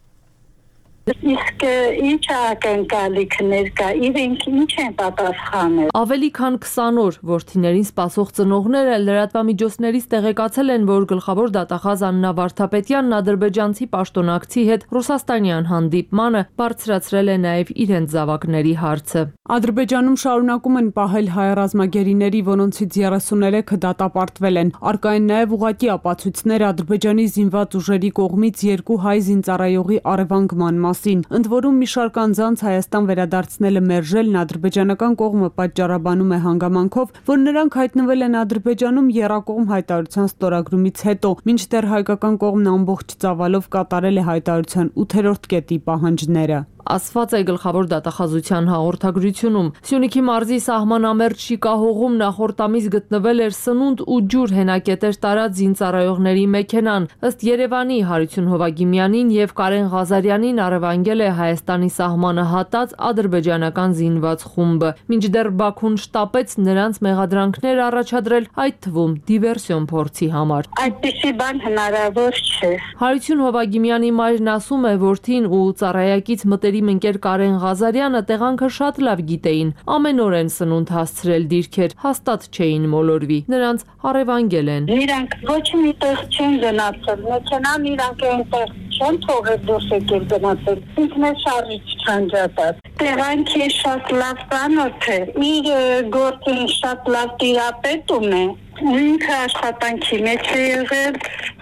Իսկ ինչ ակնկալիքներ կա, իրենք ինչ են պատասխանել։ Ավելի քան քսան օր որդիներին սպասող ծնողները լրատվամիջոցներից տեղեկացել են, որ գլխավոր դատախազ Աննա Վարդապետյանն ադրբեջանցի պաշտոնակցի հետ ռուսաստանյան հանդիպմանը բարձրացրել է նաև իրենց զավակների հարցը։ Ադրբեջանում շարունակում են պահել հայ ռազմագերիների, որոնցից երեսուներեքը դատապարտվել են։ Առկա են նաև ուղղակի ապացույցներ Ադրբեջանի զինված ուժերի կողմից երկու հայ զինծառայողի առևանգման մասին։ Ընդ որում մի շարք անձանց Հայաստան վերադարձնելը մերժելն ադրբեջանական կողմը պատճառաբանում է հանգամանքով, որ նրանք հայտնվել են Ադրբեջանում եռակողմ հայտարարության ստորագրումից հետո, մինչդեռ հայկական կողմն ամբողջ ծավալով կատարել է հայտարարության ութերորդ կետի պահանջները։ Ասված է գլխավոր դատախազության հաղորդագրությունում։ Սյունիքի մարզի սահմանամերձ Շիկահողում նախորդ ամիս գտնվել էր սնունդ ու ջուր հենակետեր տարած զինծառայողների մեքենան։ Ըստ Երևանի Հարություն Հովագիմյանին եւ Կարեն Ղազարյանին առևանգել է Հայաստանի սահմանը հատած ադրբեջանական զինված խումբը։ Մինչդեռ Բաքուն շտապեց նրանց մեղադրանքներ առաջադրել, այդ թվում դիվերսիոն փորձի համար։ Այդպիսի բան հնարավոր չէ։ Հարություն Հովագիմյանի մայրն ասում է, որ թին ու ծառայակից մտերի ընկեր Կարեն Ղազարյանը տեղանքը շատ լավ գիտեին, ամեն օր են սնունդ հասցրել դիրքեր, հաստատ չէին մոլորվի, նրանց առևանգել են։ Իրանք ոչ մի տեղ չեն գնացել, մեքենան իրանք այնտեղ չեն թողել դուրս եկել գնացել, ինքն է շարժիչ չանջատած։ Տեղանքի շատ լավ ծանոթ է, իր գործին շատ լավ տիրապետում է, ինքը աշխատանքի մեջ է եղել,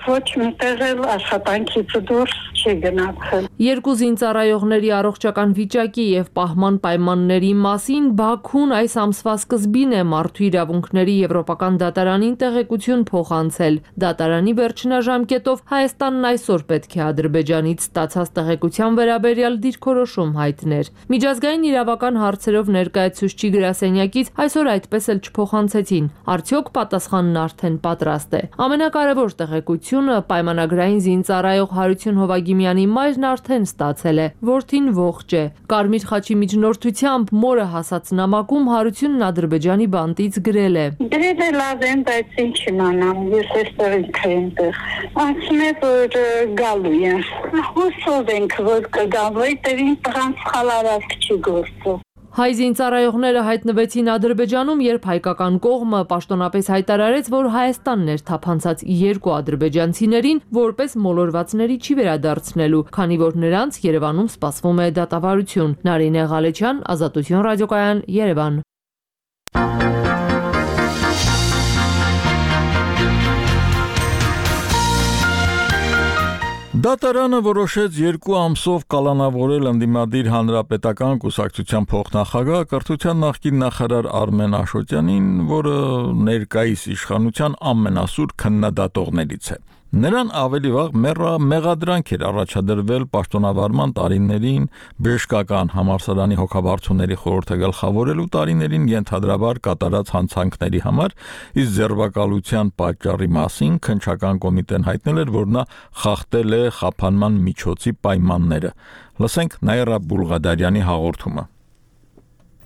ոչ մի տեղ էլ աշխատանքից դուրս չի գնացել։ Երկու զինծառայողների առողջական վիճակի եւ պահման պայմանների մասին Բաքուն այս ամսվա սկզբին է մարդու իրավունքների եվրոպական դատարանին տեղեկություն փոխանցել։ Դատարանի վերջնաժամկետով Հայաստանն այսօր պետք է Ադրբեջանից ստացած տեղեկության վերաբերյալ դիրքորոշում հայտներ։ Միջազգային իրավական հարցերով ներկայացուցիչ գրասենյակից այսօր այդպես էլ չփոխանցեցին։ Արդյոք պատասխանն արդեն պատրաստ է։ Ամենակարևոր տեղեկությունը պայմանագրային զինծառայող Հարություն Հովագիմյանի մայրն արդեն ստացել է, որդին ողջ է։ Կարմիր խաչի միջնորդությամբ մորը հասած նամակում Հարությունն Ադրբեջանի բանտից գրել է. Դրել է լավ եմ, բայց ինչ իմանամ, ես այստեղ ինք այնտեղ։ Ասում է, որ գալու է։ Հուսով ենք, որ կգալու է, տերին տղան սխալարակ չի գործում։ Հայ զինծառայողները հայտնվեցին Ադրբեջանում, երբ հայկական կողմը պաշտոնապես հայտարարեց, որ Հայաստանն էր թափանցած երկու ադրբեջանցիներին որպես մոլորվածների չի վերադարձնելու, քանի որ նրանց Երևանում սպասվում է դատավարություն։ Նարինե Ղալեչյան, Ազատություն ռադիոկայան, Երևան։ Դատարանը որոշեց երկու ամսով կալանավորել ընդդիմադիր հանրապետական կուսակցության փոխնախագահ կրթության նախկին նախարար Արմեն Աշոտյանին, որը ներկայիս իշխանության ամենասուր քննադատողներից է։ Նրան ավելի վաղ մեղադրանք էր առաջադրվել պաշտոնավարման տարիներին բժշկական համալսարանի հոգաբարձուների խորհուրդը գլխավորելու տարիներին ենթադրաբար կատարած հանցանքների համար, իսկ ձերբակալության պատճառի մասին քննչական կոմիտեն հայտնել էր, որ նա խախտել է խափանման միջոցի պայմանները։ Լսենք Նաիրա Բուլղադարյանի հաղորդումը։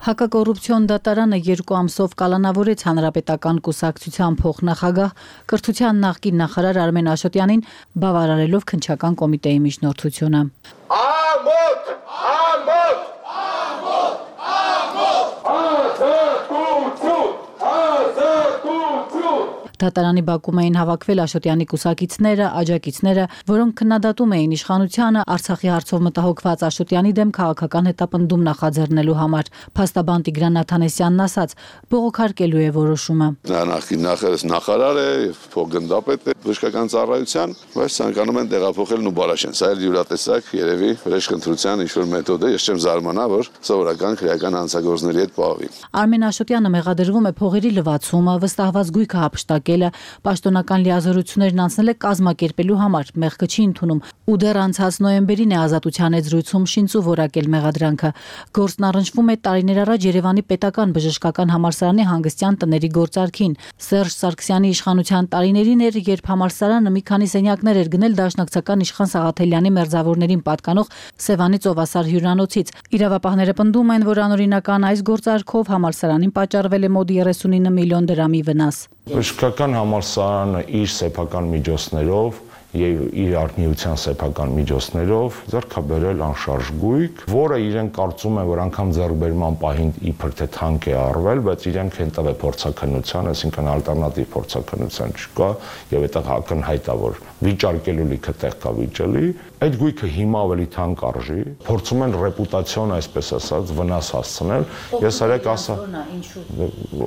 Հակակոռուպցիոն դատարանը երկու ամսով կալանավորեց հանրապետական կուսակցության փոխնախագահ կրթության նախկին նախարար Արմեն Աշոտյանին, բավարարելով քննչական կոմիտեի միջնորդությունը։ Ամոթ, ամոթ, ամոթ, ամոթ, ազատություն, ազատություն։ Դատարանի բակում էին հավաքվել Աշոտյանի կուսակիցները, աջակիցները, որոնք քննադատում էին իշխանությանը Արցախի հարցով մտահոգված Աշոտյանի դեմ քաղաքական հետապնդում նախաձեռնելու համար։ Փաստաբան Տիգրան Նաթանեսյանն ասաց, բողոքարկելու է որոշումը։ Նա նախին նախարար է, փոխգնդապետ է բժշկական ծառայության, բայց ցանկանում են տեղափոխել Նուբարաշեն։ Սա էլ յուրատեսակ երևի վրեժխնդրության ինչ-որ մեթոդ է, ես չեմ զարմանա, որ սովորական քրեական հանցագործների հետ պահվի։ Արմեն Աշոտյանը մեղադրվում է փողերի լվացումը, վստահված գույքը հափշտակելը, պաշտոնական լիազորություններն անցնել է կազմակերպելու համար, մեղքը չի ընդունում ու դեռ անցած նոյեմբերին է ազատության եզրույցում շինծու որակել մեղադրանքը։ Գործն առնչվում է տարիներ առաջ Երևանի պետական բժշկական համալսարանի հանգստյան տների գործարքին։ Սերժ Սարգսյանի իշխանության տարիներին էր, երբ համալսարանը մի քանի սենյակներ էր գնել դաշնակցական իշխան Սաղաթելյանի մերձավորներին պատկանող Սևանի ծովասար հյուրանոցից։ Իրավապահները պնդում են, որ անօրինական այս գործարքով համալսարանին պատճառվել է մոտ երեսունինը միլիոն դրամի վնաս։ Բժշկական համալսարանը իր սեփական միջոցներով եւ իր արտնիության սեփական միջոցներով ձեռքաբերել անշարժ գույք, որը իրեն կարծում է, որ անգամ ձեռքբերման պահին իբր թե թանկ է արվել, բայց իրենք հենց է փորձաքննության, այսինքն ալտերնատիվ փորձաքննության չկա եւ այդտեղ ակնհայտ է, որ վիճարկելու լիքը տեղ կա վիճելի, այդ գույքը հիմա ավելի թանկ արժի, փորձում են ռեպուտացիոն, այսպես ասած, վնաս հասցնել։ Ես արեք ասա,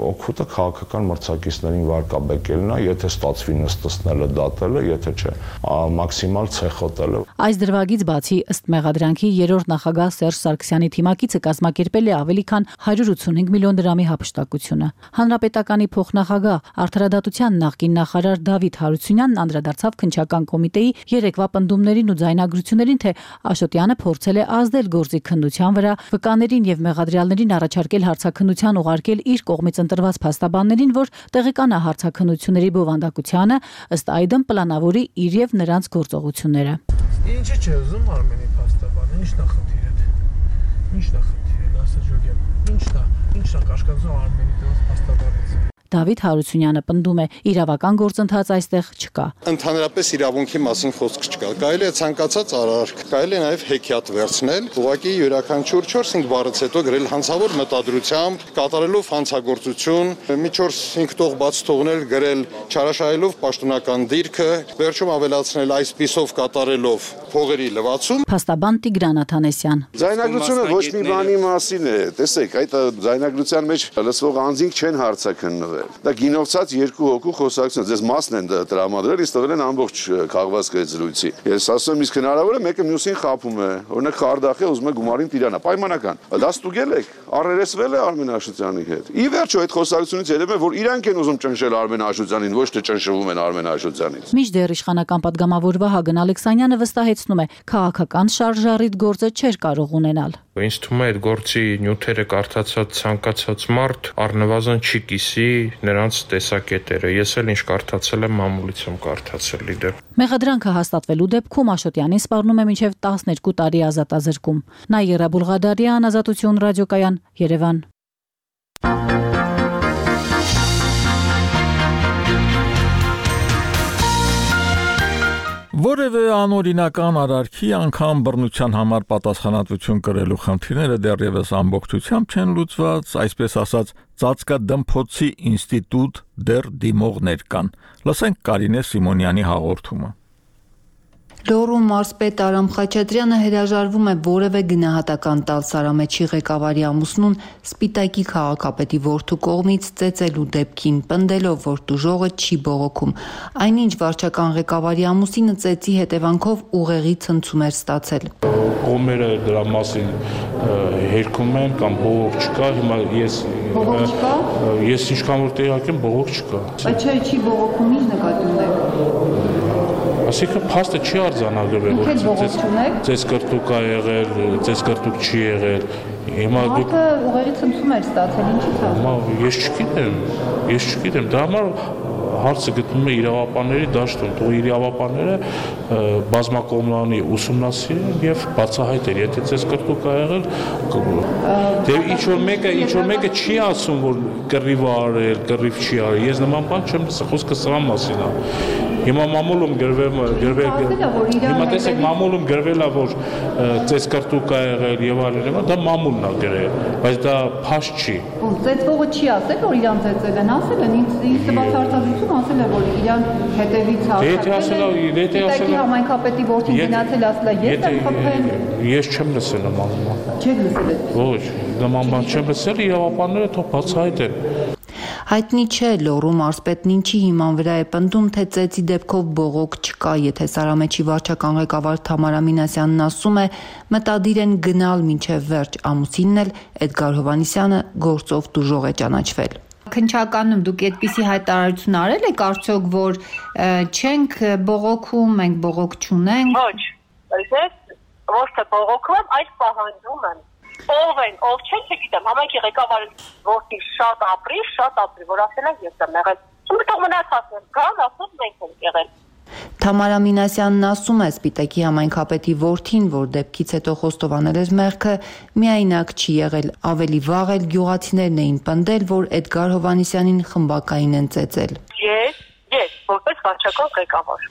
օգուտը քաղաքական մրցակիցներին վարկաբեկելն է, եթե ստացվի նստեցնելը, դատելը, եթե չէ մաքսիմալ ցեխոտելը։ Այս դրվագից բացի ըստ մեղադրանքի երրորդ նախագահ Սերժ Սարգսյանի թիմակիցը կազմակերպել է ավելի քան հարյուր ութսունհինգ միլիոն դրամի հափշտակությունը։ Հանրապետականի փոխնախագահ Արդարադատության նախկին նախարար Դավիթ Հարությունյանն անդրադարձավ քննչական կոմիտեի երեկվա պնդումներին ու ձայնագրություններին, թե Աշոտյանը փորձել է ազդել գործի քննության վրա, վկաներին եւ մեղադրյալներին առաջարկել հարցաքննության ուղարկել իր կողմից ընտրված փաստաբաններին, որ տեղեկանա հարցաքննությունների բովանդակությանը, ըստ այդմ պլանավորի իր եւ նրանց գործողությունները։ Ինչի՞ չէ ուզում Արմենի փաստաբանը, ի՞նչն է խնդիրը։ Ի՞նչն է խնդիրը, ասա ջոգեմ։ Ի՞նչն է, ի՞նչն է կաշկածում Արմենի դրանց փաստաբանից։ Դավիթ Հարությունյանը պնդում է, իրավական գործընթաց այստեղ չկա։ Ընդհանրապես իրավունքի մասին խոսք չկա։ Կարելի է ցանկացած արարք, կարելի է նաև հեքիաթ վերցնել, ուղղակի յուրաքանչյուր չորս-հինգ բառից հետո գրել հանցավոր մտադրությամբ, կատարելով հանցագործություն, մի չորս-հինգ տող բաց թողնել, գրել չարաշահելով պաշտոնական դիրքը, վերջում ավելացնել այսպիսով կատարելով փողերի լվացում։ Փաստաբան Տիգրան Աթանեսյան։ Ձայնագրությունը ոչ մի բանի մասին է։ Տեսեք, այդ ձայնագրության մեջ լսվող անձինք չեն հարցաքննվել։ Դա գինովցած երկու հոգու խոսակցություն, ձեզ մասն են տրամադրել, իսկ տվել են ամբողջ քաղվածքը այդ զրույցի։ Ես ասում եմ, իսկ հնարավոր է մեկը մյուսին խափում է, օրինակ Խարդախը ուզում է գումարին Տիրանա, պայմանական։ Դա ստուգել եք, առերեսվել է Արմեն Աշոտյանի հետ։ Ի վերջո այդ խոսակցությունից երևում է, որ իրանք են ուզում ճնշել Արմեն Աշոտյանին, ոչ թե ճնշվում են Արմեն Աշոտյանից։ Մինչդեռ իշխանական պատգամավոր Վահագն Ալեքսանյանը վստահեցնում է, քաղաքական շարժառիթ գործը չէր կարող ունենալ։ Ինձ թվում է այդ գործի նյութերը կարդացած ցանկացած մարդ առնվազն չի կիսի նրանց տեսակետերը։ Ես էլ ինչ կարդացել եմ, մամուլից եմ կարդացել իդեպ։ Մեղադրանքը հաստատվելու դեպքում Աշոտյանին սպառնում է մինչև տասներկու տարի ազատազրկում։ Նաիրա Բուլղադարյան, Ազատություն ռադիոկայան, Երևան։ Որևէ անօրինական արարքի անգամ բռնության համար պատասխանատվություն կրելու խնդիրները դեռևս ամբողջությամբ չեն լուծված, այսպես ասած, ծածկադմփոցի ինստիտուտ դեռ դիմողներ կան։ Լսենք Կարինե Սիմոնյանի հաղորդումը։ Լոռու մարզպետ Արամ Խաչատրյանը հրաժարվում է որևէ գնահատական տալ Սարամեջի ղեկավարի ամուսնուն Սպիտակի քաղաքապետի որդու կողմից ծեծելու դեպքին, պնդելով, որ տուժողը չի բողոքում։ Այնինչ վարչական ղեկավարի ամուսինը ծեծի հետևանքով ուղեղի ցնցում էր ստացել։ Կողմերը դրա մասին հերքում են կամ բողոք չկա, հիմա ես ես ինչքան որ տեղյակ եմ, բողոք չկա։ Բայց չէ, չի բողոքում, ինչ նկատի ունեք։ Այսինքն փաստը չի արձանագրվել, որ ծես կրտուկ ա եղել, ծես կրտուկ չի եղել։ Հիմա դուք ուղեղի ցնցում եք ստացել, ինչի՞ց է։ Հիմա ես չգիտեմ, ես չգիտեմ, դա համար հարցը գտնվում է իրավապանների դաշտում, թող իրավապանները բազմակողմանի ուսումնասիրեն եւ բացահայտեն, եթե ծես կրտուկ ա եղել, դե ինչ որ մեկը, ինչ որ մեկը չի ասում, որ կռիվ ա արել, կռիվ չի արել։ Ես նման բան չեմ լսել, խոսքը սրա մասին է։ Հիմա մամուլում գրվել գրվել հիմա տեսեք մամուլում գրվել է որ ծես կրտուկ ա եղել եւ այլն, դա մամուլն ա գրել, բայց դա փաստ չի։ Ծեծվողը չի ասել, որ իրան ծեծել են, ասել են, ինձ ինձ տված հարցազրույցում ասել է, որ իրան հետևից հարձակվել է։ Եթե ասել համայնքապետի որդին գնացել ասել է, ես եմ խփել։ Ես չեմ լսել նման բան։ Չեք լսել։ Ոչ, նման բան չեմ լսել, իրավապանները թող բացահայտեն։ Հայտնի չէ Լոռու մարզպետն ինչի հիման վրա է պնդում, թե ծեծի դեպքով բողոք չկա, եթե Սարամեջի վարչական ղեկավար Թամարա Մինասյանն ասում է, մտադիր են գնալ մինչև վերջ, ամուսինն էլ Էդգար Հովհաննիսյանը գործով տուժող է ճանաչվել։ Քննչականում դուք այդպիսի հայտարարություն արել եք արդյոք, որ չենք բողոքում, մենք բողոք չունենք։ Ոչ, ես ոչ թե բողոքում եմ, այլ պահանջում եմ։ Ով են, ով չեն, չգիտեմ, համայնքի ղեկավարը որտի շատ ապրի, շատ ապրի, որ ասել են ես եմ եղել։ Ում թող մնացած են, կան, ասում մենք ենք եղել։ Թամարա Մինասյանն ասում է Սպիտակի համայնքապետի որդին, որ դեպքից հետո խոստովանել էր մեղքը, միայնակ չի եղել, ավելի վաղ էլ գյուղացիներն էին պնդել, որ Էդգար Հովհաննիսյանին խմբակային են ծեծել։ Ես, ես, որպես վարչական ղեկավար,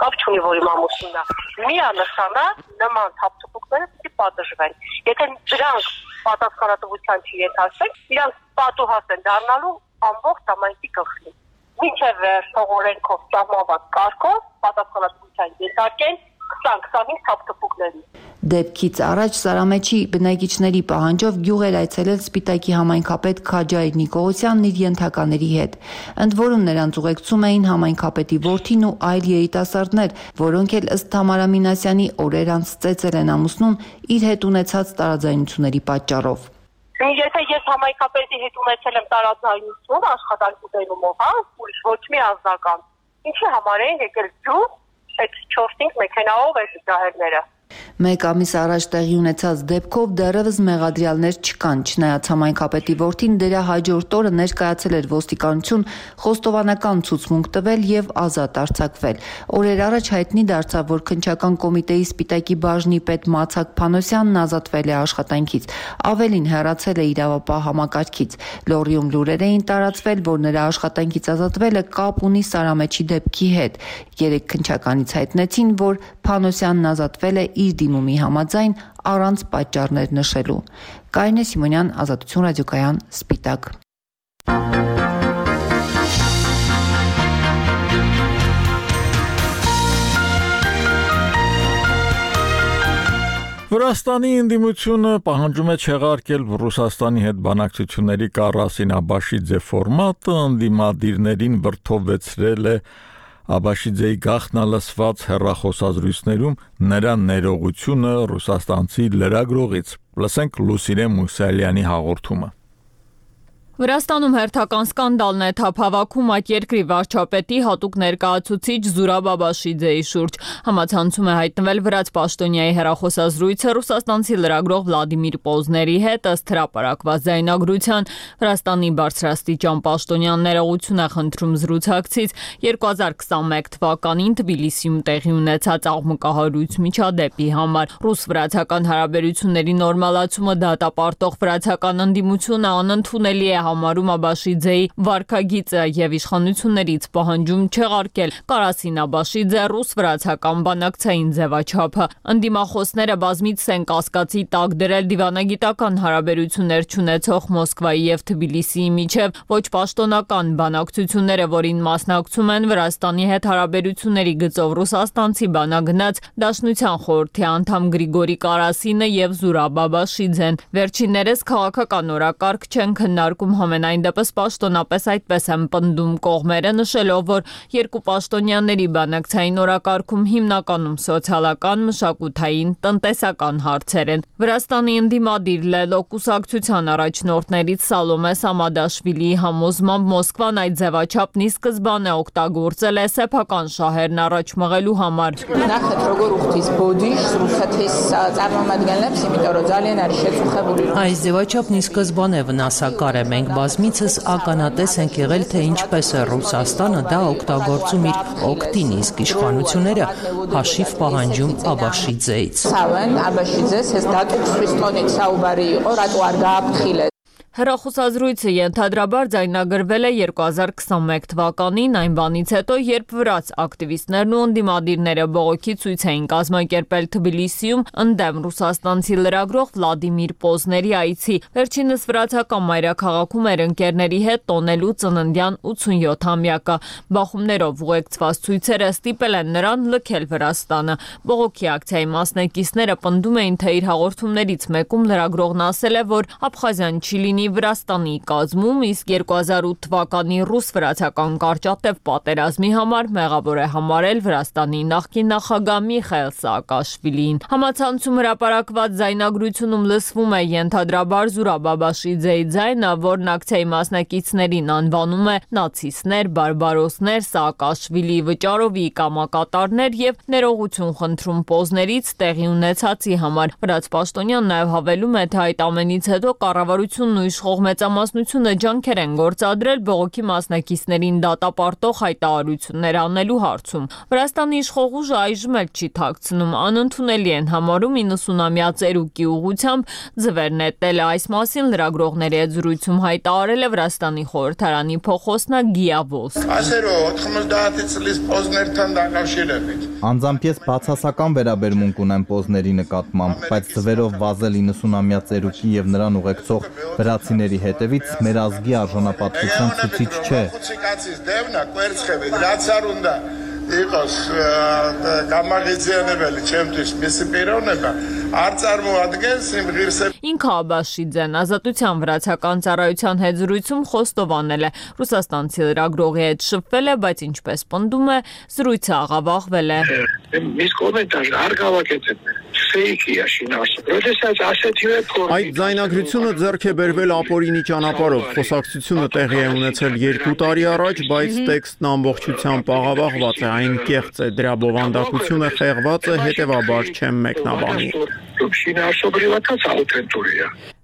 կապ չունի, որ իմ ամուսինն է, միանշանակ նման թափթփուկները պիտի պատժվեն։ Եթե դրանք պատասխանատվության չենթարկվեն, իրանք պատուհաս են դառնալու ամբողջ համայնքի գլխին։ Մինչև վերջ օրենքով սահմանված կարգով պատասխանատվության ենթարկեն քսան քսանհինգ թափթփուկների։ Դեպքից առաջ Սարամեչի բնակիչների պահանջով գյուղ էր այցելել Սպիտակի համայնքապետ Քաջայր Նիկողոսյանն իր ենթակաների հետ, ընդ որում նրանց ուղեկցում էին համայնքապետի որդին ու այլ երիտասարդներ, որոնք էլ ըստ Թամարա Մինասյանի օրեր անց ծեծել են ամուսնուն իր հետ ունեցած տարաձայնությունների պատճառով։ Եթե ես համայնքապետի հետ ունեցել եմ տարաձայնություն աշխատանքի դերումով, հա, ուրիշ ոչ մի անձնական, ինչի համար էին եկել գյուղ այդ չորս-հինգ մեքենայով այդ ջահելները։ Մեկ ամիս առաջ տեղի ունեցած դեպքով դեռևս մեղադրյալներ չկան, չնայած համայնքապետի որդին դրա հաջորդ օրը ներկայացել էր ոստիկանություն, խոստովանական ցուցմունք տվել եւ ազատ արձակվել։ Օրեր առաջ հայտնի դարձավ, որ քննչական կոմիտեի Սպիտակի բաժնի պետ Մացակ Փանոսյանն ազատվել է աշխատանքից, ավելին հեռացել է իրավապահ համակարգից։ Լոռիում լուրեր էին տարածվել, որ նրա աշխատանքից ազատվելը կապ ունի Սարամեչի դեպքի հետ։ Երեք քննչականից հայտնեցին, որ Փանոսյանն ազատվել է իր դիմումի համաձայն առանց պատճառներ նշելու։ Կարինե Սիմոնյան, Ազատություն ռադիոկայան, Սպիտակ։ Վրաստանի ընդդիմությունը պահանջում է չեղարկել Ռուսաստանի հետ բանակցությունների Կարասին Աբաշիձե ֆորմատը, ընդդիմադիրներին վրդովվեցրել է Աբաշիձեի գաղտնալսված հեռախոսազրույցներում նրա ներողությունը ռուսաստանցի լրագրողից։ Լսենք Լուսինե Մուսալյանի հաղորդումը։ Վրաստանում հերթական սկանդալն է թափավաքում այդ երկրի վարչապետի հատուկ ներկայացուցիչ Զուրաբ Աբաշիձեի շուրջ։ Համացանցում է հայտնվել վրաց պաշտոնյայի հեռախոսազրույցը ռուսաստանցի լրագրող Վլադիմիր Պոզների հետ ըստ հրապարակված ձայնագրության։ Վրաստանի բարձրաստիճան պաշտոնյան ներողություն է խնդրում զրուցակցից երկու հազար քսանմեկ թվականին Թբիլիսիում տեղի ունեցած աղմկահարույց միջադեպի համար։ Ռուս-վրացական հարաբերությունների նորմալացումը դատապարտող վրացական ընդդիմությունը անընդունելի է համարում Աբաշիձեի վարքագիծը եւ իշխանություններից պահանջում չեղարկել Կարասին Աբաշիձե ռուս-վրացական բանակցային ձևաչափը։ Ընդդիմախոսները բազմիցս են կասկածի տակ դրել դիվանագիտական հարաբերություններ չունեցող Մոսկվայի եւ Թբիլիսիի միջև ոչ պաշտոնական բանակցությունները, որին մասնակցում են Վրաստանի հետ հարաբերությունների գծով ռուսաստանցի բանագնաց Դաշնության խորհրդի անդամ Գրիգորի Կարասինը եւ Զուրաբ Աբաշիձեն։ Վերջիններս քաղաքական օրակարգ չեն քննարկում, համենայն դեպս պաշտոնապես այդպես են պնդում կողմերը, նշելով, որ երկու պաշտոնյաների բանակցային օրակարգում հիմնականում սոցիալական, մշակութային, տնտեսական հարցեր են։ Վրաստանի ընդդիմադիր Լելո կուսակցության առաջնորդներից Սալոմե Սամադաշվիլիի համոզմամբ Մոսկվան այդ ձևաչափն ի սկզբանե օգտագործել է սեփական շահերն առաջ մղելու համար։ Այս ձևաչափն ի սկզբանե վնասակար է։ Մենք բազմիցս ականատես ենք եղել, թե ինչպես է Ռուսաստանը դա օգտագործում իր օգտին, իսկ իշխանությունները հաշիվ պահանջում Աբաշիձեից։ Հեռախոսազրույցը ենթադրաբար ձայնագրվել է երկու հազար քսանմեկ թվականին, այն բանից հետո, երբ վրաց ակտիվիստներն ու ընդդիմադիրները բողոքի ցույց էին կազմակերպել Թբիլիսիում ընդդեմ ռուսաստանցի լրագրող Վլադիմիր Պոզների այցի։ Վերջինս վրացական մայրաքաղաքում էր ընկերների հետ տոնելու ծննդյան ութսունյոթամյակը։ Բախումներով ուղեկցված ցույցերը ստիպել են նրան լքել Վրաստանը։ Բողոքի ակցիայի մասնակիցները պնդում էին, թե իր հաղորդումներից մեկում լրագրողն ասել է, որ Աբխազիան չի լինի Վրաստանի կազմում, իսկ երկու հազար ութ թվականի ռուս-վրացական կարճատև պատերազմի համար մեղավոր է համարել Վրաստանի նախկին նախագահ Միխայիլ Սաակաշվիլին։ Համացանցում հրապարակված ձայնագրությունում լսվում է ենթադրաբար Զուրաբ Աբաշիձեի ձայնը, որն ակցիայի մասնակիցներին անվանում է նացիստներ, բարբարոսներ, Սաակաշվիլիի վճարովի կամակատարներ եւ ներողություն խնդրում Պոզներից տեղի ունեցածի համար։ Վրաց պաշտոնյան նաեւ հավելում է, թե այդ ամենից հետո կառավարությունն ու իշխող մեծամասնությունը ջանքեր են գործադրել բողոքի մասնակիցներին դատապարտող հայտարարություններ անելու հարցում։ Վրաստանի իշխող ուժը այժմ էլ չի թաքցնում, անընդունելի են համարում իննսունամյա ծերուկի ուղղությամբ ձվեր նետելը։ Այս մասին լրագրողների հետ զրույցում հայտարարել է Վրաստանի խորհրդարանի փոխոսնակ Գիա Վոս։ Անձամբ ես բացասական վերաբերմունք ունեմ Պոզների նկատմամբ, բայց ձվերով վազել իննսունամյա ծերուկի եւ նրան ուղեկցող վրացիների հետևից մեր ազգի արժանապատվության ցուցիչ չէ։ Իqos გამაღიზიანებელი ჩემთვის მისი პიროვნება Ինքը Աբաշիձեն Ազատության վրացական ծառայության հետ զրույցում խոստովանել է, ռուսաստանցի լրագրողի հետ շփվել է, բայց ինչպես պնդում է, զրույցը աղավաղվել է։ Այդ ձայնագրությունը ձեռք է բերվել ապօրինի ճանապարհով։ Խոսակցությունը տեղի է ունեցել երկու տարի առաջ, բայց տեքստն ամբողջությամբ աղավաղված է, այն կեղծ է, դրա բովանդակությունը խեղված է, հետևաբար չեմ մեկնաբանի։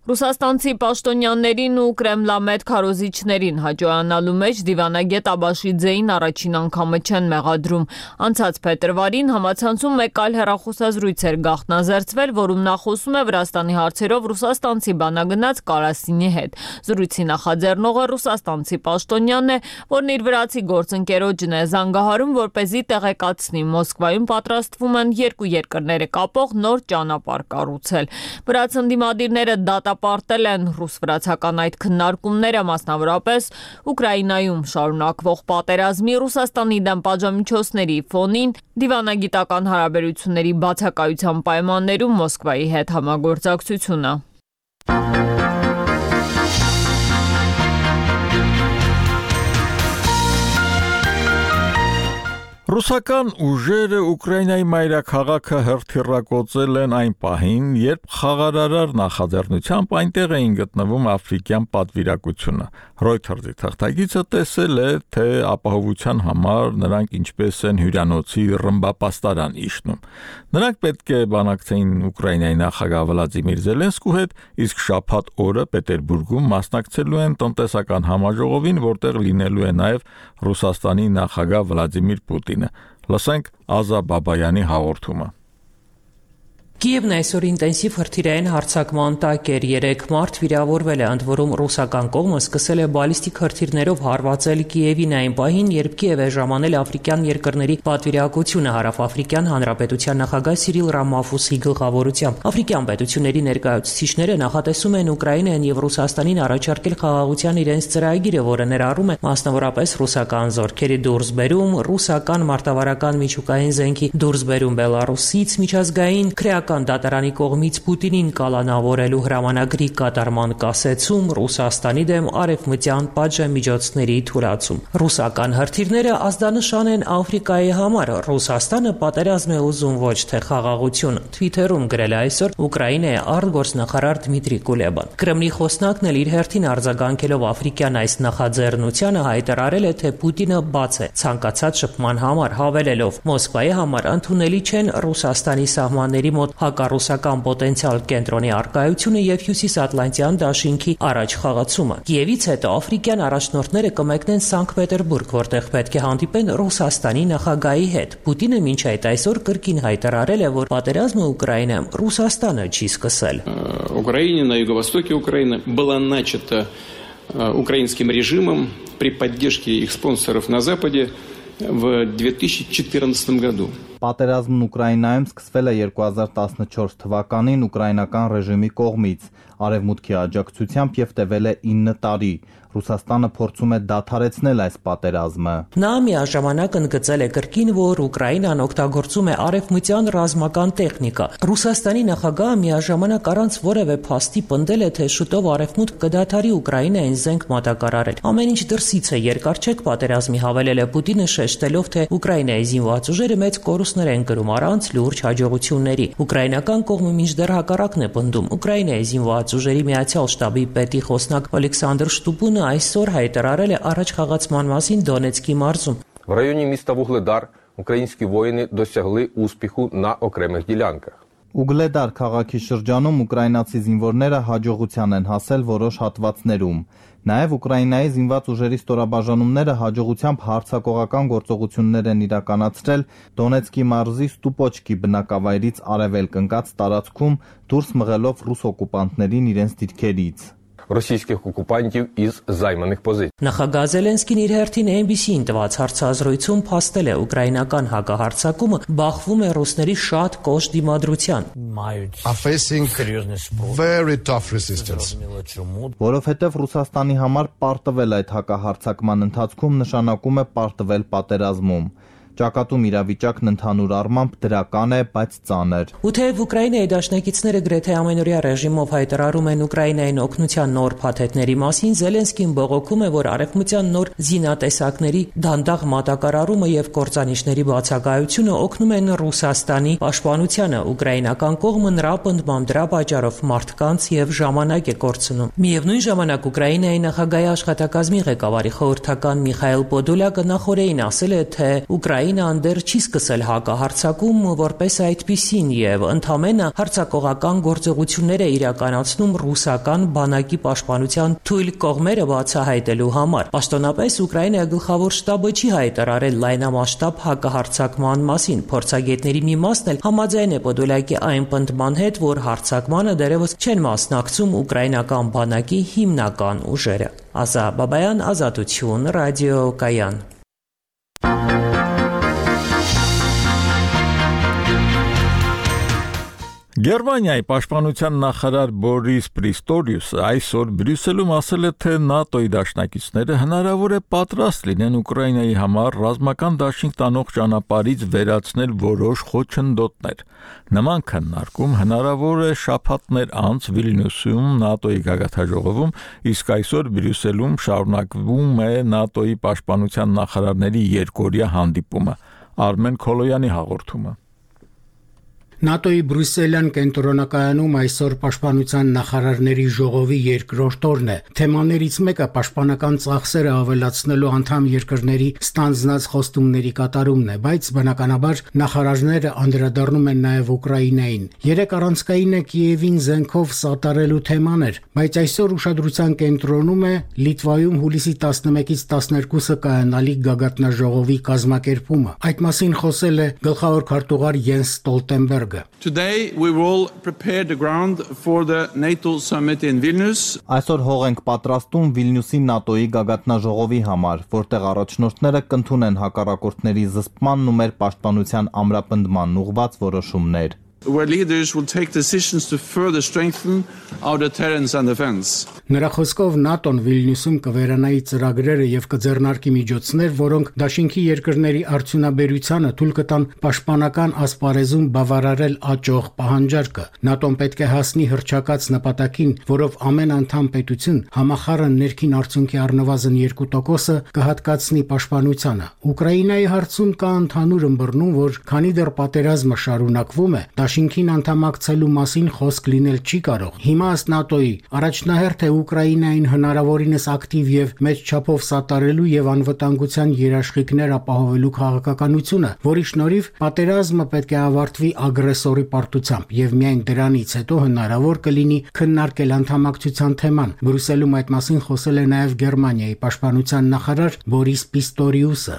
Ռուսաստանցի պաշտոնյաներին ու կրեմլամետ քարոզիչներին հաջողանալու մեջ դիվանագետ Աբաշիձեին առաջին անգամը չեն մեղադրում։ Անցած փետրվարին համացանցում մեկ այլ հեռախոսազրույց էր գաղտնազերծվել, որում նա խոսում է Վրաստանի հարցերով ռուսաստանցի բանագնաց Կարասինի հետ։ Զրույցի նախաձեռնողը ռուսաստանցի պաշտոնյանն է, որն իր վրացի գործընկերոջն է զանգահարում, որպեսզի տեղեկացնի Մոսկվայում պատրաստվում են երկու երկրները կապող նոր ճանապարհ կառուցել։ Վրաց ընդդիմադիրները դատա պարտել են ռուս-վրացական այդ քննարկումները, մասնավորապես Ուկրաինայում շարունակվող պատերազմի, Ռուսաստանի դեմ պատժամիջոցների ֆոնին, դիվանագիտական հարաբերությունների բացակայության պայմաններում Մոսկվայի հետ համագործակցությունը։ Ռուսական ուժերը Ուկրաինայի մայրաքաղաքը հրթիռակոծել են այն պահին, երբ խաղարարար նախաձեռնությամբ այնտեղ էին գտնվում աֆրիկյան պատվիրակությունը։ Reuters-ի թղթակիցը տեսել է, թե ապահովության համար նրանք ինչպես են հյուրանոցի ռմբապաստարան իջնում։ Նրանք պետք է բանակցեին Ուկրաինայի նախագահ Վլադիմիր Զելենսկու հետ, իսկ շաբաթ օրը Պետերբուրգում մասնակցելու են տնտեսական համաժողովին, որտեղ լինելու է նաև Ռուսաստանի նախագահ Վլադիմիր Պուտինը։ Լսենք Ազա Բաբայանի հաղորդումը։ Կիևն այսօր ինտենսիվ հրթիռային հարձակման տակ էր, երեք մարդ վիրավորվել է, ընդ որում ռուսական կողմը սկսել է բալիստիկ հրթիռներով հարվածել Կիևին այն պահին, երբ Կիև է ժամանել աֆրիկյան երկրների պատվիրակությունը հարավաֆրիկյան հանրապետության նախագահ Սիրիլ Ռամաֆոսի գլխավորությամբ։ Աֆրիկյան պետությունների ներկայացուցիչները նախատեսում են Ուկրաինային եւ Ռուսաստանին առաջարկել խաղաղության իրենց ծրագիրը, որը ներառում է մասնավորապես ռուսական զորքերի դուրսբերում, ռուսական մարտավարական միջուկային զենքի դուրսբերում Բելարուսից, միջազգային դատարանի կողմից Պուտինին կալանավորելու հրամանագրի կատարման կասեցում, Ռուսաստանի դեմ արևմտյան պատժամիջոցների թույլատում։ Ռուսական հրթիռները ազդանշան են Աֆրիկայի համար։ Ռուսաստանը պատերազմ է ուզում, ոչ թե խաղաղություն։ Թվիթերում գրել է այսօր Ուկրաինայի արտգործնախարար Դմիտրի Կուլեբան։ Կրեմլի խոսնակն էլ իր հերթին արձագանքելով աֆրիկյան այս նախաձեռնությանը հայտարարել է, թե Պուտինը բաց է ցանկացած շփման համար, հավելելով. Մոսկվայի համար ընդունելի չեն Ռուսաստանի սահմանների մոտ հակառուսական պոտենցիալ կենտրոնի արկայությունը եւ հյուսիսատլանտյան դաշինքի առաջ խաղացումը։ Կիևից հետո աֆրիկյան առաջնորդները կմեկնեն Սանկտ Պետերբուրգ, որտեղ պետք է հանդիպեն Ռուսաստանի նախագահի հետ։ Պուտինը մինչ այդ այսօր կրկին հայտարարել է, որ պատերազմը Ուկրաինայում Ռուսաստանը չի սկսել։ Украине, на юго-востоке Украины была начата украинским режимом при поддержке их спонсоров на Западе в две тысячи четырнадцатом году. Պատերազմն Ուկրաինայում սկսվել է երկու հազար տասնչորս թվականին ուկրաինական ռեժիմի կողմից, արևմուտքի աջակցությամբ եւ տևել է ինը տարի։ Ռուսաստանը փորձում է դադարեցնել այս պատերազմը։ Նա միաժամանակ ընդգծել է կրկին, որ Ուկրաինան օգտագործում է արևմտյան ռազմական տեխնիկա։ Ռուսաստանի նախագահը միաժամանակ առանց որևէ փաստի պնդել է, թե շուտով արևմուտք կդադարի Ուկրաինային զենք մատակարարել։ Ամեն ինչ դրսից է, երկար չեք պատերազմի, հավելել է Պուտինը, շեշտելով, թե Ուկրաինայի զինված ուժերը մեծ կորուստներ են կրում առանց լուրջ հաջողությունների։ Ուկրաինական կողմը մինչդեռ հակառակն է պնդում։ Ուկրաինայի զինված ուժերի միացյալ շտաբի պետի խոսնակ Ալեքսանդր Շտուպունը այսօր հայտարարել է առաջ խաղացման մասին Դոնեցկի մարզում։ В районе міста Вугледар українські воїни досягли успіху на окремих ділянках. Ուգլեդար քաղաքի շրջանում ուկրաինացի զինվորները հաջողության են հասել որոշ հատվածներում։ Նաև Ուկրաինայի զինված ուժերի ստորաբաժանումները հաջողությամբ հարձակողական գործողություններ են իրականացրել Դոնեցկի մարզի Ստուպոչկի բնակավայրից արևելք ընկած տարածքում, դուրս մղելով ռուս օկուպանտներին իրենց դիրքերից։ Російських окупантів із займаних позицій. Նախագահ Զելենսկին իր հերթին N B C-ին տված հարցազրույցում փաստել է ուկրաինական հակահարձակումը բախվում է ռուսների շատ կոշտ դիմադրության։ Are facing very tough resistance. Որովհետև Ռուսաստանի համար պարտվել այդ հակահարձակման ընթացքում նշանակում է պարտվել պատերազմում։ Ճակատում իրավիճակն ընդհանուր առմամբ դրական է, բայց ծանր։ Ու թեև Ուկրաինայի դաշնակիցները գրեթե ամենօրյա ռեժիմով հայտարարում են Ուկրաինային օգնության նոր փաթեթների մասին, Զելենսկին բողոքում է, որ արևմտյան նոր զինատեսակների դանդաղ մատակարարումը եւ կործանիչների բացակայությունը օգնում են Ռուսաստանի պաշտպանությանը։ Ուկրաինական կողմը նրա պնդմամբ դրա պատճառով մարդկանց եւ ժամանակ է կորցնում։ Միևնույն ժամանակ Ուկրաինայի նախագահի աշխատակազմի ղեկավարի խորհրդական Միխայել Պոդոլյակը նախորդին ասել է, թե Ուկրաինան դեռ չի սկսել հակահարձակում որպես այդպիսին եւ ընդամենը հարձակողական գործողություններ է իրականացնում ռուսական բանակի պաշտպանության թույլ կողմերը բացահայտելու համար։ Պաշտոնապես Ուկրաինայի գլխավոր շտաբը չի հայտարարել լայնամասշտաբ հակահարձակման մասին։ Փորձագետների մի մասն էլ համաձայն է Պոդոլյակի այն պնդման հետ, որ հարձակմանը դեռևս չեն մասնակցում ուկրաինական բանակի հիմնական ուժերը։ Ազա Բաբայան, Ազատություն, Ռադիո Կայան։ Գերմանիայի պաշտպանության նախարար Բորիս Պրիստորիուսը այսօր Բրյուսելում ասել է, թե ՆԱՏՕ-ի դաշնակիցները հնարավոր է պատրաստ լինեն Ուկրաինայի համար ռազմական դաշինք տանող ճանապարհից վերացնել որոշ խոչընդոտներ։ Նման քննարկում հնարավոր է շաբաթներ անց Վիլնյուսում ՆԱՏՕ-ի գագաթնաժողովում, իսկ այսօր Բրյուսելում շարունակվում է ՆԱՏՕ-ի պաշտպանության նախարարների երկօրյա հանդիպումը։ Արմեն Քոլոյանի հաղորդումը։ ՆԱՏՕ-ի Բրյուսելյան կենտրոնակայանում այսօր պաշտպանության նախարարների ժողովի երկրորդ օրն է։ Թեմաներից մեկը պաշտպանական ծախսերը ավելացնելու անդամ երկրների ստանձնած խոստումների կատարումն է, բայց բնականաբար նախարարները անդրադառնում են նաև Ուկրաինային։ Երեք առանցքայինը Կիևին զենքով սատարելու թեման էր, բայց այսօր ուշադրության կենտրոնում է Լիտվայում հուլիսի տասնմեկից տասներկուսը կայանալիք գագաթնաժողովի կազմակերպումը։ Այդ մասին խոսել է գլխավոր քարտուղար Յենս Ստոլտենբերգ։ Today we will prepare the ground for the NATO summit in Vilnius. Այսօր հող ենք պատրաստում Վիլնյուսի ՆԱՏՕ-ի գագաթնաժողովի համար, որտեղ առաջնորդները կընդունեն հակառակորդների զսպմանն ու մեր պաշտպանության ամրապնդման ուղղված որոշումներ։ Where leaders will take decisions to further strengthen our deterrence and defense. Նրա խոսքով ՆԱՏՕ-ն Վիլնյուսում կվերանայի ծրագրերը եւ կձեռնարկի միջոցներ, որոնք դաշինքի երկրների արդյունաբերությանը թույլ կտան պաշտպանական ասպարեզում բավարարել աճող պահանջարկը։ ՆԱՏՕ-ն պետք է հասնի հռչակած նպատակին, որով ամեն անդամ պետություն համախառն ներքին արդյունքի առնվազն երկու տոկոսը կհատկացնի պաշտպանությանը։ Ուկրաինայի հարցում կա ընդհանուր ըմբռնում, որ քանի դեռ պատերազմը շարունակվում է, Դաշինքին անդամակցելու մասին խոսք լինել չի կարող։ Հիմա ըստ ՆԱՏՕ-ի առաջնահերթ է Ուկրաինային հնարավորինս ակտիվ եւ մեծ չափով սատարելու եւ անվտանգության երաշխիքներ ապահովելու քաղաքականությունը, որի շնորհիվ պատերազմը պետք է ավարտվի ագրեսորի պարտությամբ եւ միայն դրանից հետո հնարավոր կլինի քննարկել անդամակցության թեման։ Բրյուսելում այդ մասին խոսել է նաեւ Գերմանիայի պաշտպանության նախարար Բորիս Պիստորիուսը։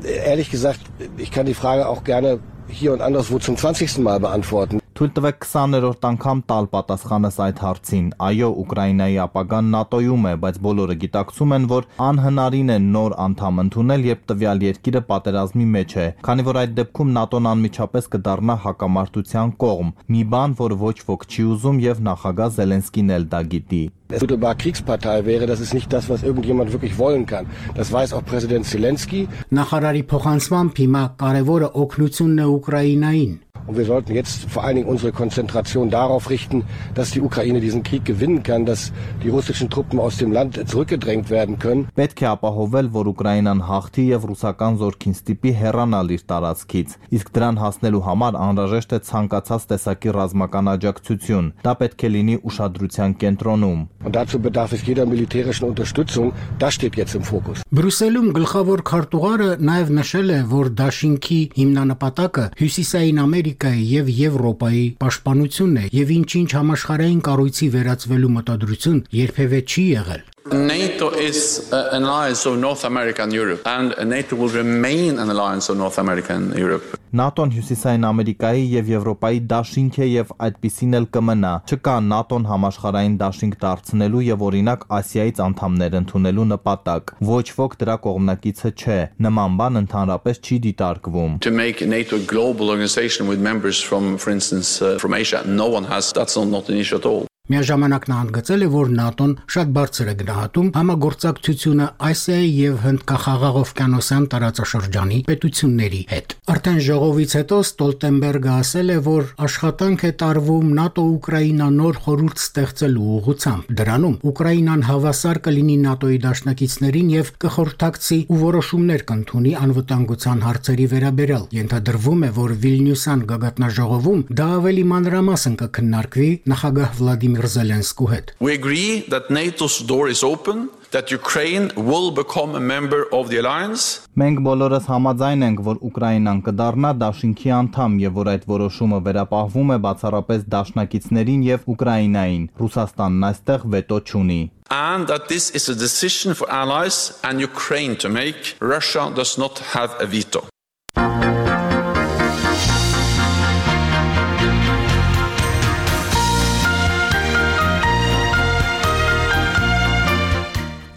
Ehrlich gesagt, ich kann die Frage auch gerne hier und anderswo zum zwanzigsten Mal beantworten. Թույլ տվեք քսաներորդ անգամ տալ պատասխանս այդ հարցին։ Այո, Ուկրաինայի ապագան ՆԱՏՕ-ում է, բայց բոլորը գիտակցում են, որ անհնարին է նոր անդամ ընդունել, երբ տվյալ երկիրը պատերազմի մեջ է, քանի որ այդ դեպքում ՆԱՏՕ-ն անմիջապես կդառնա հակամարտության կողմ, մի բան, որ ոչ ոք չի ուզում եւ նախագահ Զելենսկին էլ դա գիտի։ Es unmittelbar Kriegspartei wäre, das ist nicht das, was irgendjemand wirklich wollen kann. Das weiß auch Präsident Zelensky. Նախարարի փոխանցմամբ հիմա կարևորը օգնությունն է Ուկրաինային։ Und wir sollten jetzt vor allen Dingen unsere Konzentration darauf richten, dass die Ukraine diesen Krieg gewinnen kann, dass die russischen Truppen aus dem Land zurückgedrängt werden können. Պետք է ապահովել, որ Ուկրաինան հաղթի եւ ռուսական զորքին ստիպի հեռանալ իր տարածքից։ Իսկ դրան հասնելու համար անհրաժեշտ է ցանկացած տեսակի ռազմական աջակցություն։ Դա պետք է լինի ուշադրության կենտրոնում։ Und dazu bedarf es jeder militärischen Unterstützung. Das steht jetzt im Fokus. Բրյուսելում գլխավոր քարտուղարը նաև նշել է, որ դաշինքի հիմնանպատակը Հյուսիսային Ամերիկայի եւ Եվրոպայի պաշտպանությունն է եւ ինչ-ինչ համաշխարհային կառույցի վերածվելու մտադրություն երբևէ չի եղել։ NATO is uh, an alliance of North America and Europe, and NATO will remain an alliance of North America and Europe. ՆԱՏՕ-ն Հյուսիսային Ամերիկայի եւ Եվրոպայի դաշինք է եւ այդպիսին էլ կմնա։ Չկա ՆԱՏՕ-ն համաշխարհային դաշինք դարձնելու եւ օրինակ Ասիայից անդամներ ընդունելու նպատակ։ Ոչ ոք դրա կողմնակիցը չէ։ Նման բան ընդհանրապես չի դիտարկվում։ To make NATO a global organization with members from, for instance, uh, from Asia, no one has. That's not an issue at all. Միաժամանակ նա ընդգծել է, որ ՆԱՏՕ-ն շատ բարձր է գնահատում համագործակցությունը Ասիայի եւ Հնդկախաղաղօվկիանոսյան տարածաշրջանի պետությունների հետ։ Արդեն ժողովից հետո Ստոլտենբերգը ասել է, որ աշխատանք է տարվում ՆԱՏՕ-Ուկրաինա նոր խորհուրդ ստեղծելու ուղղությամբ։ Դրանում Ուկրաինան հավասար կլինի ՆԱՏՕ-ի դաշնակիցներին եւ կխորհրդակցի ու որոշումներ կընդունի անվտանգության հարցերի վերաբերյալ։ Ենթադրվում է, որ Վիլնյուսյան գագաթնաժողովում դա ավելի մանրամասն կքննարկվի նախագահ Վլադիմիր Զելենսկու հետ։ We agree that NATO's door is open, that Ukraine will become a member of the alliance. Մենք բոլորս համաձայն ենք, որ Ուկրաինան կդառնա դաշինքի անդամ եւ որ այդ որոշումը վերապահվում է բացառապես դաշնակիցներին եւ Ուկրաինային։ Ռուսաստանն այստեղ վետո չունի։ And that this is a decision for allies and Ukraine to make. Russia does not have a veto.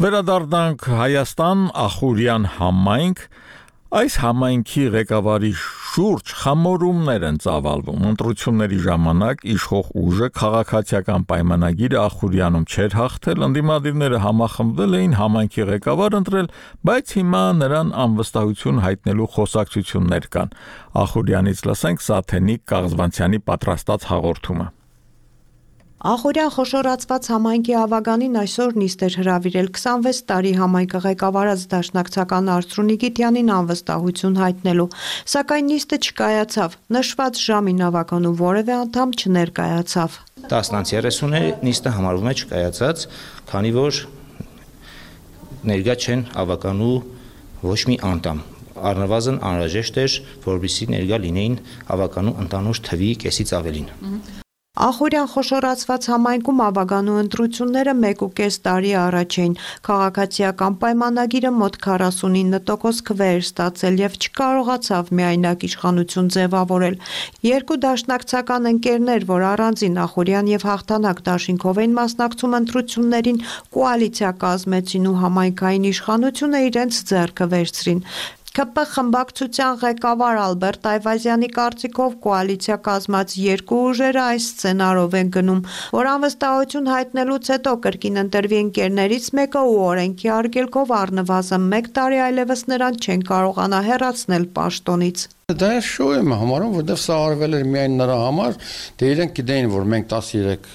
Վերադառնանք Հայաստան, Ախուրյան համայնք, այս համայնքի ղեկավարի շուրջ խմորումներ են ծավալվում։ Ընտրությունների ժամանակ իշխող ուժը քաղաքացիական պայմանագիրը Ախուրյանում չէր հաղթել, ընդդիմադիրները համախմբվել էին համայնքի ղեկավար ընտրել, բայց հիմա նրան անվստահություն հայտնելու խոսակցություններ կան։ Ախուրյանից լսենք Սաթենիկ Կաղզվանցյանի պատրաստած հաղորդումը։ Ախուրյան խոշորացված համայնքի ավագանին այսօր նիստ էր հրավիրել քսանվեց տարի համայնքը ղեկավարած դաշնակցական Արծրունի Գիտյանին անվստահություն հայտնելու, սակայն նիստը չկայացավ, նշված ժամին ավագանու որևէ անդամ չներկայացավ։ տասնից երեսունը նիստը համարվում է չկայացած, քանի որ ներկա չեն ավագանու ոչ մի անդամ։ Առնվազն անհրաժեշտ էր, որպեսզի ներկա լինեին ավագանու ընդանուր թվի կեսից ավելին։ Ախուրյան խոշորացված համայնքում ավագանու ընտրությունները մեկ ու կես տարի առաջ էին։ Քաղաքացիական պայմանագիրը մոտ քառասունինը տոկոս քվե էր ստացել եւ չկարողացավ միայնակ իշխանություն ձևավորել։ Երկու դաշնակցական ընկերներ, որ առանձին Ախուրյան եւ Հաղթանակ դաշինքով էին մասնակցում ընտրություններին, կոալիցիա կազմեցին ու համայնքային իշխանությունը իրենց ձեռքը վերցրին։ ՔՊ խմբակցության ղեկավար Ալբերտ Այվազյանի կարծիքով կոալիցիա կազմած երկու ուժերը այս սցենարով են գնում, որ անվստահություն հայտնելուց հետո կրկին ընտրվի ընկերներից մեկը ու օրենքի արգելքով առնվազն մեկ տարի այլևս նրան չեն կարողանա հեռացնել պաշտոնից։ Դա շո եմ համարում, որովհետև սա արվել էր միայն նրա համար, դե իրենք գիտեին, որ մենք տասներեք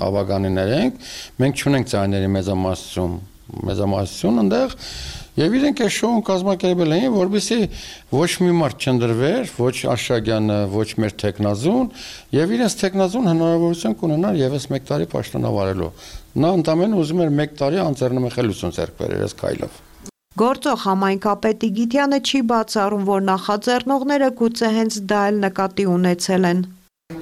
ավագանիներ ենք, մենք չունենք ձայների մեծամասնություն, մեծամասնություն այնտեղ Եվ իրենք այս շոուն կազմակերպել էին, որպեսզի ոչ մի մարդ չընտրվեր, ոչ Աշակյանը, ոչ մեր տեխնազուն, եւ իրենց տեխնազուն հնարավորություն կունենար եւս մեկ տարի պաշտոնավարելու։ Նա ընդամենը ուզում էր մեկ տարի անձեռնմխելիություն ձեռք բերել այս քայլով։ Գործող համայնքապետի Գիտյանը չի բացառում, որ նախաձեռնողները գուցե հենց դա էլ նկատի ունեցել են։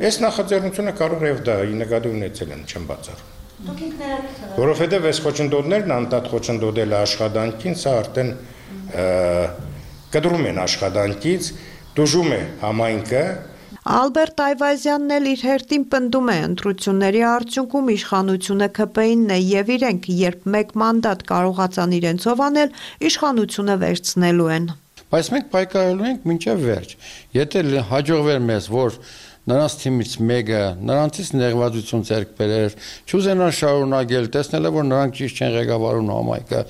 Այս նախաձեռնությունը կարող է դա նկատի ունեցել են, չեմ բացառում։ Որովհետև այս խոչընդոտներն անդադ խոչընդոտել աշխատանքին, սա արդեն կտրում են աշխատանքից, դժում է համայնքը։ Ալբերտ Այվազյանն էլ իր հերթին պնդում է ընտրությունների արդյունքում իշխանությունը ՔՊ-ինն է եւ իրենք, երբ մեկ մանդատ կարողացան իրենցով անել, իշխանությունը վերցնելու են։ Բայց մենք պայքարելու ենք մինչև վերջ։ Եթե հաջողվեր մեզ, որ նրանց թիմից մեկը նրանցից ներգաղթություն ձեռք բերեր, չուզենան շարունակել, տեսնել որ նրանք ճիշտ չեն ղեկավարում համայնքը,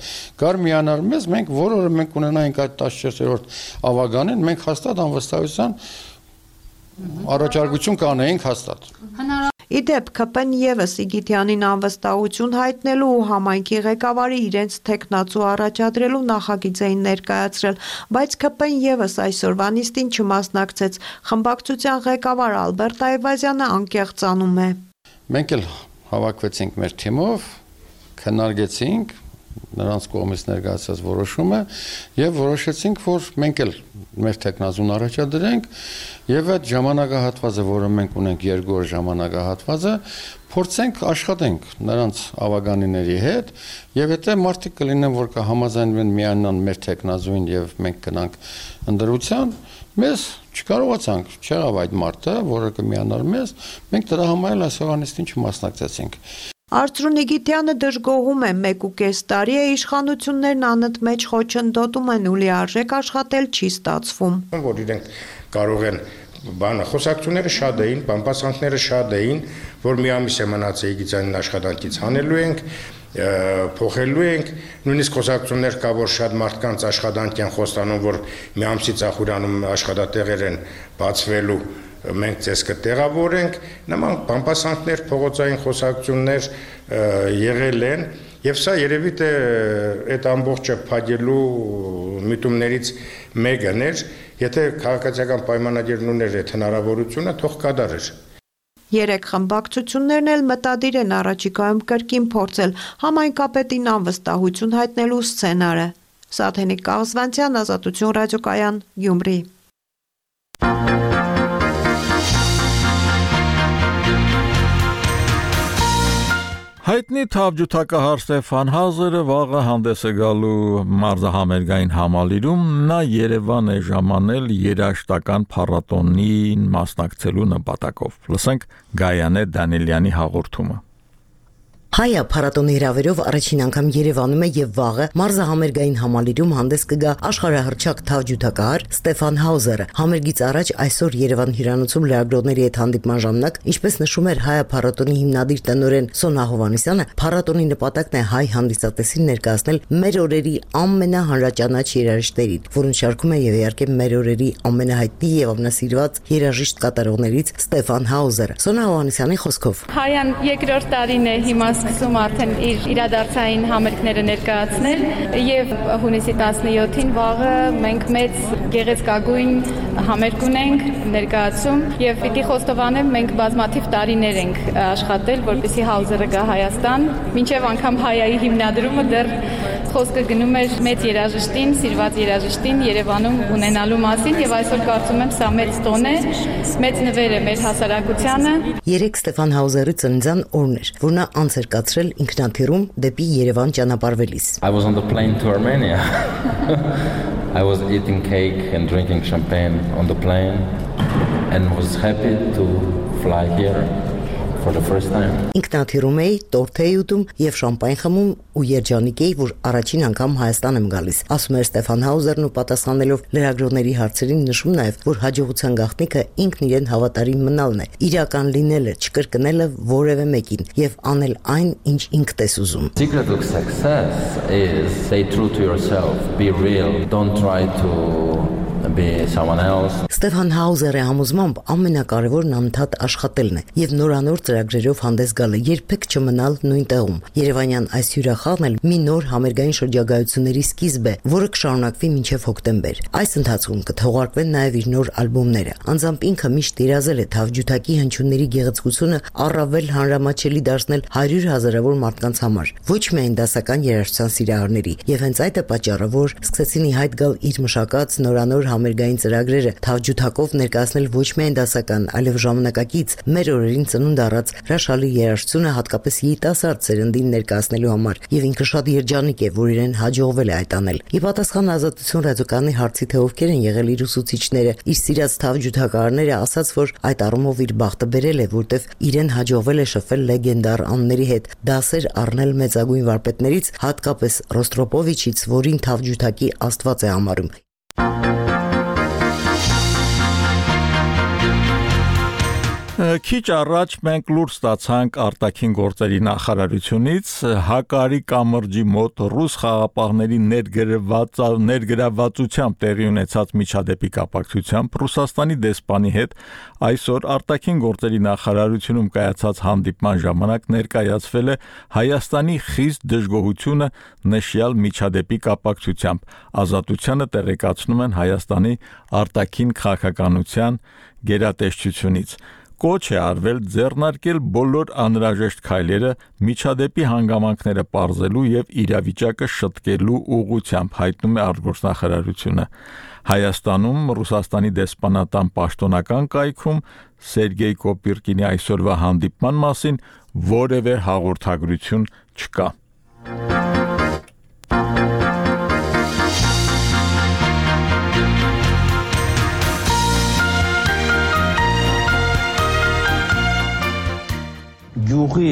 կար միանար մեզ, մենք որ օրը մենք ունենայինք այդ տասնչորսերորդ ավագանին, մենք հաստատ անվստահության առաջարկություն կանեինք հաստատ։ Իդեպ ՔՊ-ն եւս Իգիթյանին անվստահություն հայտնելու ու համայնքի ղեկավարի իրենց տեխնացու առաջադրելու նախագիծ էին ներկայացրել, բայց ՔՊ-ն եւս այսօրվա նիստին չմասնակցեց։ Խմբակցության ղեկավար Ալբերտ Այվազյանը անկեղծանում է։ Մենք էլ հավաքվեցինք մեր թիմով, քննարկեցինք նրանց կողմից ներկայացած որոշումը եւ որոշեցինք, որ մենք էլ մեր տեխնազուն առաջադրենք եւ այդ ժամանակահատվածը, որը մենք ունենք երկու օր ժամանակահատվածը, փորձենք աշխատենք նրանց ավագանիների հետ եւ եթե մարդիկ կլինեն, որ կհամաձայնվեն միանան մեր տեխնազույն եւ մենք գնանք ընդրության, մեզ չկարողացանք, չեղավ այդ մարդը, որը կմիանար մեզ, մենք դրա համար էլ այսօրանիստին չմասնակցեցինք։ Արծրունի Գիտյանը դժգոհում է մեկ ու կես տարի է իշխանություններն անընդմեջ խոչընդոտում են ու լիարժեք աշխատել չի ստացվում։ Որ իրենք կարող են բանը խոսակցությունները շատ էին, բամբասանքները շատ էին, որ մի ամիս է մնաց Եգիծյանին աշխատանքից հանելու ենք, փոխելու ենք, նույնիսկ խոսակցություններ կա, որ շատ մարդկանց աշխատանք են խոստանում, որ մի ամսի Ծախուրյանում աշխատատեղեր են բացվելու, մենք ձեզ կտեղավորենք, նման բամբասանքներ, փողոցային խոսակցություններ եղել են, եւ սա երևի թե այդ ամբողջը փակելու միտումներից մեկն էր, եթե քաղաքացիական պայմանագիրն ուներ այդ հնարավորությունը, թող կատարեր։ Երեք խմբակցություններն էլ մտադիր են առաջիկայում կրկին փորձել համայնքապետին անվստահություն հայտնելու սցենարը։ Սաթենիկ Կաղզվանցյան, Ազատություն ռադիոկայան, Գյումրի։ Հայտնի թավջութակահար Ստեփան Հաուզերը վաղը հանդես է գալու մարզահամերգային համալիրում, նա Երևան է ժամանել երաժշտական փառատոնին մասնակցելու նպատակով։ Լսենք Գայանե Դանիելյանի հաղորդումը։ Հայա փառատոնի հրավերով առաջին անգամ Երևանում է եւ վաղը մարզահամերգային համալիրում հանդես կգա աշխարհահռչակ թավջութակահար Ստեփան Հաուզերը։ Համերգից առաջ այսօր Երևան հյուրանոցում լրագրողների հետ հանդիպման ժամանակ, ինչպես նշում էր Հայա փառատոնի հիմնադիր տնօրեն Սոնա Հովհաննիսյանը, փառատոնի նպատակն է հայ հանդիսատեսին ներկայացնել մեր օրերի ամենահանրաճանաչ երաժիշտերին, որոնց շարքում է եւ իհարկե մեր օրերի ամենահայտնի եւ ամենասիրված երաժիշտ կատարողներից Ստեփան Հաուզերը։ Սոնա Հովհաննիսյանի խոսքով Հայան երկրորդ տարին է հիմա սկսում արդեն իր իրադարձային համերգները ներկայացնել եւ հունիսի տասնյոթին վաղը մենք մեծ գեղեցկագույն համերգ ունենք ներկայացում եւ պիտի խոստովանեմ մենք բազմաթիվ տարիներ ենք աշխատել որպեսզի Հաուզերը գա Հայաստան մինչեւ անգամ Հայայի հիմնադրումը դեռ խոսքը գնում էր մեծ երաժշտին, սիրված երաժշտին Երևանում ունենալու մասին եւ այսօր կարծում եմ սա մեծ տոն է, մեծ նվեր է մեր հասարակությանը։ Երեք Ստեփան Հաուզերի ծննդյան օրն էր, որ նա անց էր կացրել ինքնաթիռում դեպի Երևան ճանապարհվելիս։ I was on the plane to Armenia. I was eating cake and drinking champagne on the plane and was happy to fly here. For the first time. Ինքնաթիռում էի, տորթ էի ուտում եւ շամպայն խմում ու երջանիկ էի, որ առաջին անգամ Հայաստան եմ գալիս։ Ասում էր Ստեփան Հաուզերն ու պատասխանելով լրագրողների հարցերին նշում նաեւ, որ հաջողության գաղտնիքը ինքն իրեն հավատարիմ մնալն է, իրական լինելը, չկրկնելը որևէ մեկին եւ անել այն, ինչ ինքդ ես ուզում։ Secret of success is stay true to yourself, be real, don't try to be someone else. Ստեփան Հաուզերը համոզմամբ ամենակարևորն անընդհատ աշխատելն է եւ նորանոր ծրագրերով հանդես գալը, երբեք չմնալ նույն տեղում։ Երևանյան այս հյուրախաղն էլ մի նոր համերգային շրջագայությունների սկիզբ է, որը կշարունակվի մինչեւ հոկտեմբեր։ Այս ընթացքում կթողարկվեն նաեւ իր նոր ալբոմները։ Անձամբ ինքը միշտ երազել է թավջութակի հնչյունների գեղեցկությունը առավել հանրամատչելի դարձնել հարյուր հազարավոր մարդկանց համար, ոչ միայն դասական երաժշտության սիրահարների։ Եվ հենց այդ է պատճառը, որ սկսեցին ի հայտ գալ իր մշակած նորանոր համերգային ծրագրերը թավջութակով ներկայացնել ոչ միայն դասական, այլև ժամանակակից մեր օրերին ծնունդ առած հրաշալի երաժշտությունը հատկապես երիտասարդ սերնդին ներկայացնելու համար եւ ինքը շատ երջանիկ է, որ իրեն հաջողվել է այդ անել։ Ի պատասխան Ազատություն ռադիոկայանի հարցի թե ովքեր են եղել իր ուսուցիչները, իր սիրած թավջութակարները ասաց, որ այդ առումով իր բախտը բերել է, որտեվ իրեն հաջողվել է շփվել լեգենդար անների հետ, դասեր առնել մեծագույն վարպետներից, հատկապես Ռոստրոպովիչից, որին թավջութակի աստված է համարում։ Քիչ առաջ մենք լուր ստացանք արտաքին գործերի նախարարությունից Հակարի կամրջի մոտ ռուս խաղապահների ներգրավվածությամբ տեղի ունեցած միջադեպի կապակցությամբ Ռուսաստանի դեսպանի հետ այսօր արտաքին գործերի նախարարությունում կայացած հանդիպման ժամանակ ներկայացվել է Հայաստանի խիստ դժգոհությունը նշյալ միջադեպի կապակցությամբ։ Ազատությանը տեղեկացնում են Հայաստանի արտաքին քաղաքականության գերատեսչությունից։ Կոչ է արվել ձեռնարկել բոլոր անհրաժեշտ քայլերը միջադեպի հանգամանքները պարզելու եւ իրավիճակը շտկելու ուղղությամբ, հայտնում է արտգործնախարարությունը։ Հայաստանում Ռուսաստանի դեսպանատան պաշտոնական կայքում Սերգեյ Կոպիրկինի այսօրվա հանդիպման մասին որևէ հաղորդագրություն չկա։ Գյուղի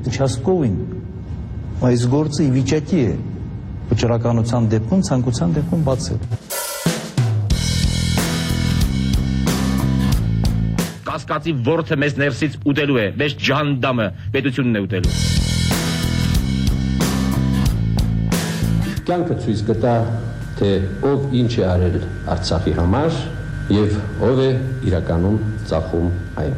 участковին այս գործը ի վիճակի է վճռականության դեպքում ցանկության դեպքում բացել։ կասկածի ворթը մեզ ներսից ուտելու է, մեզ ջանդամը պետությունն է ուտելու։ Կյանքը ցույց կտա, թե ով ինչ է արել Արցախի համար եւ ով է իրականում ծախում այն։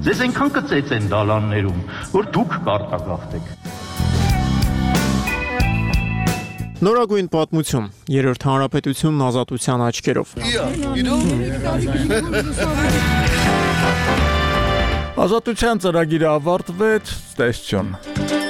Ձեզ այնքան կծեց են դալաններում, որ դուք կարտագաղթեք։ Նորագույն պատմություն, երրորդ հանրապետությունն ազատության աչքերով։ Ազատության ծրագիրը ավարտվեց, տեսություն։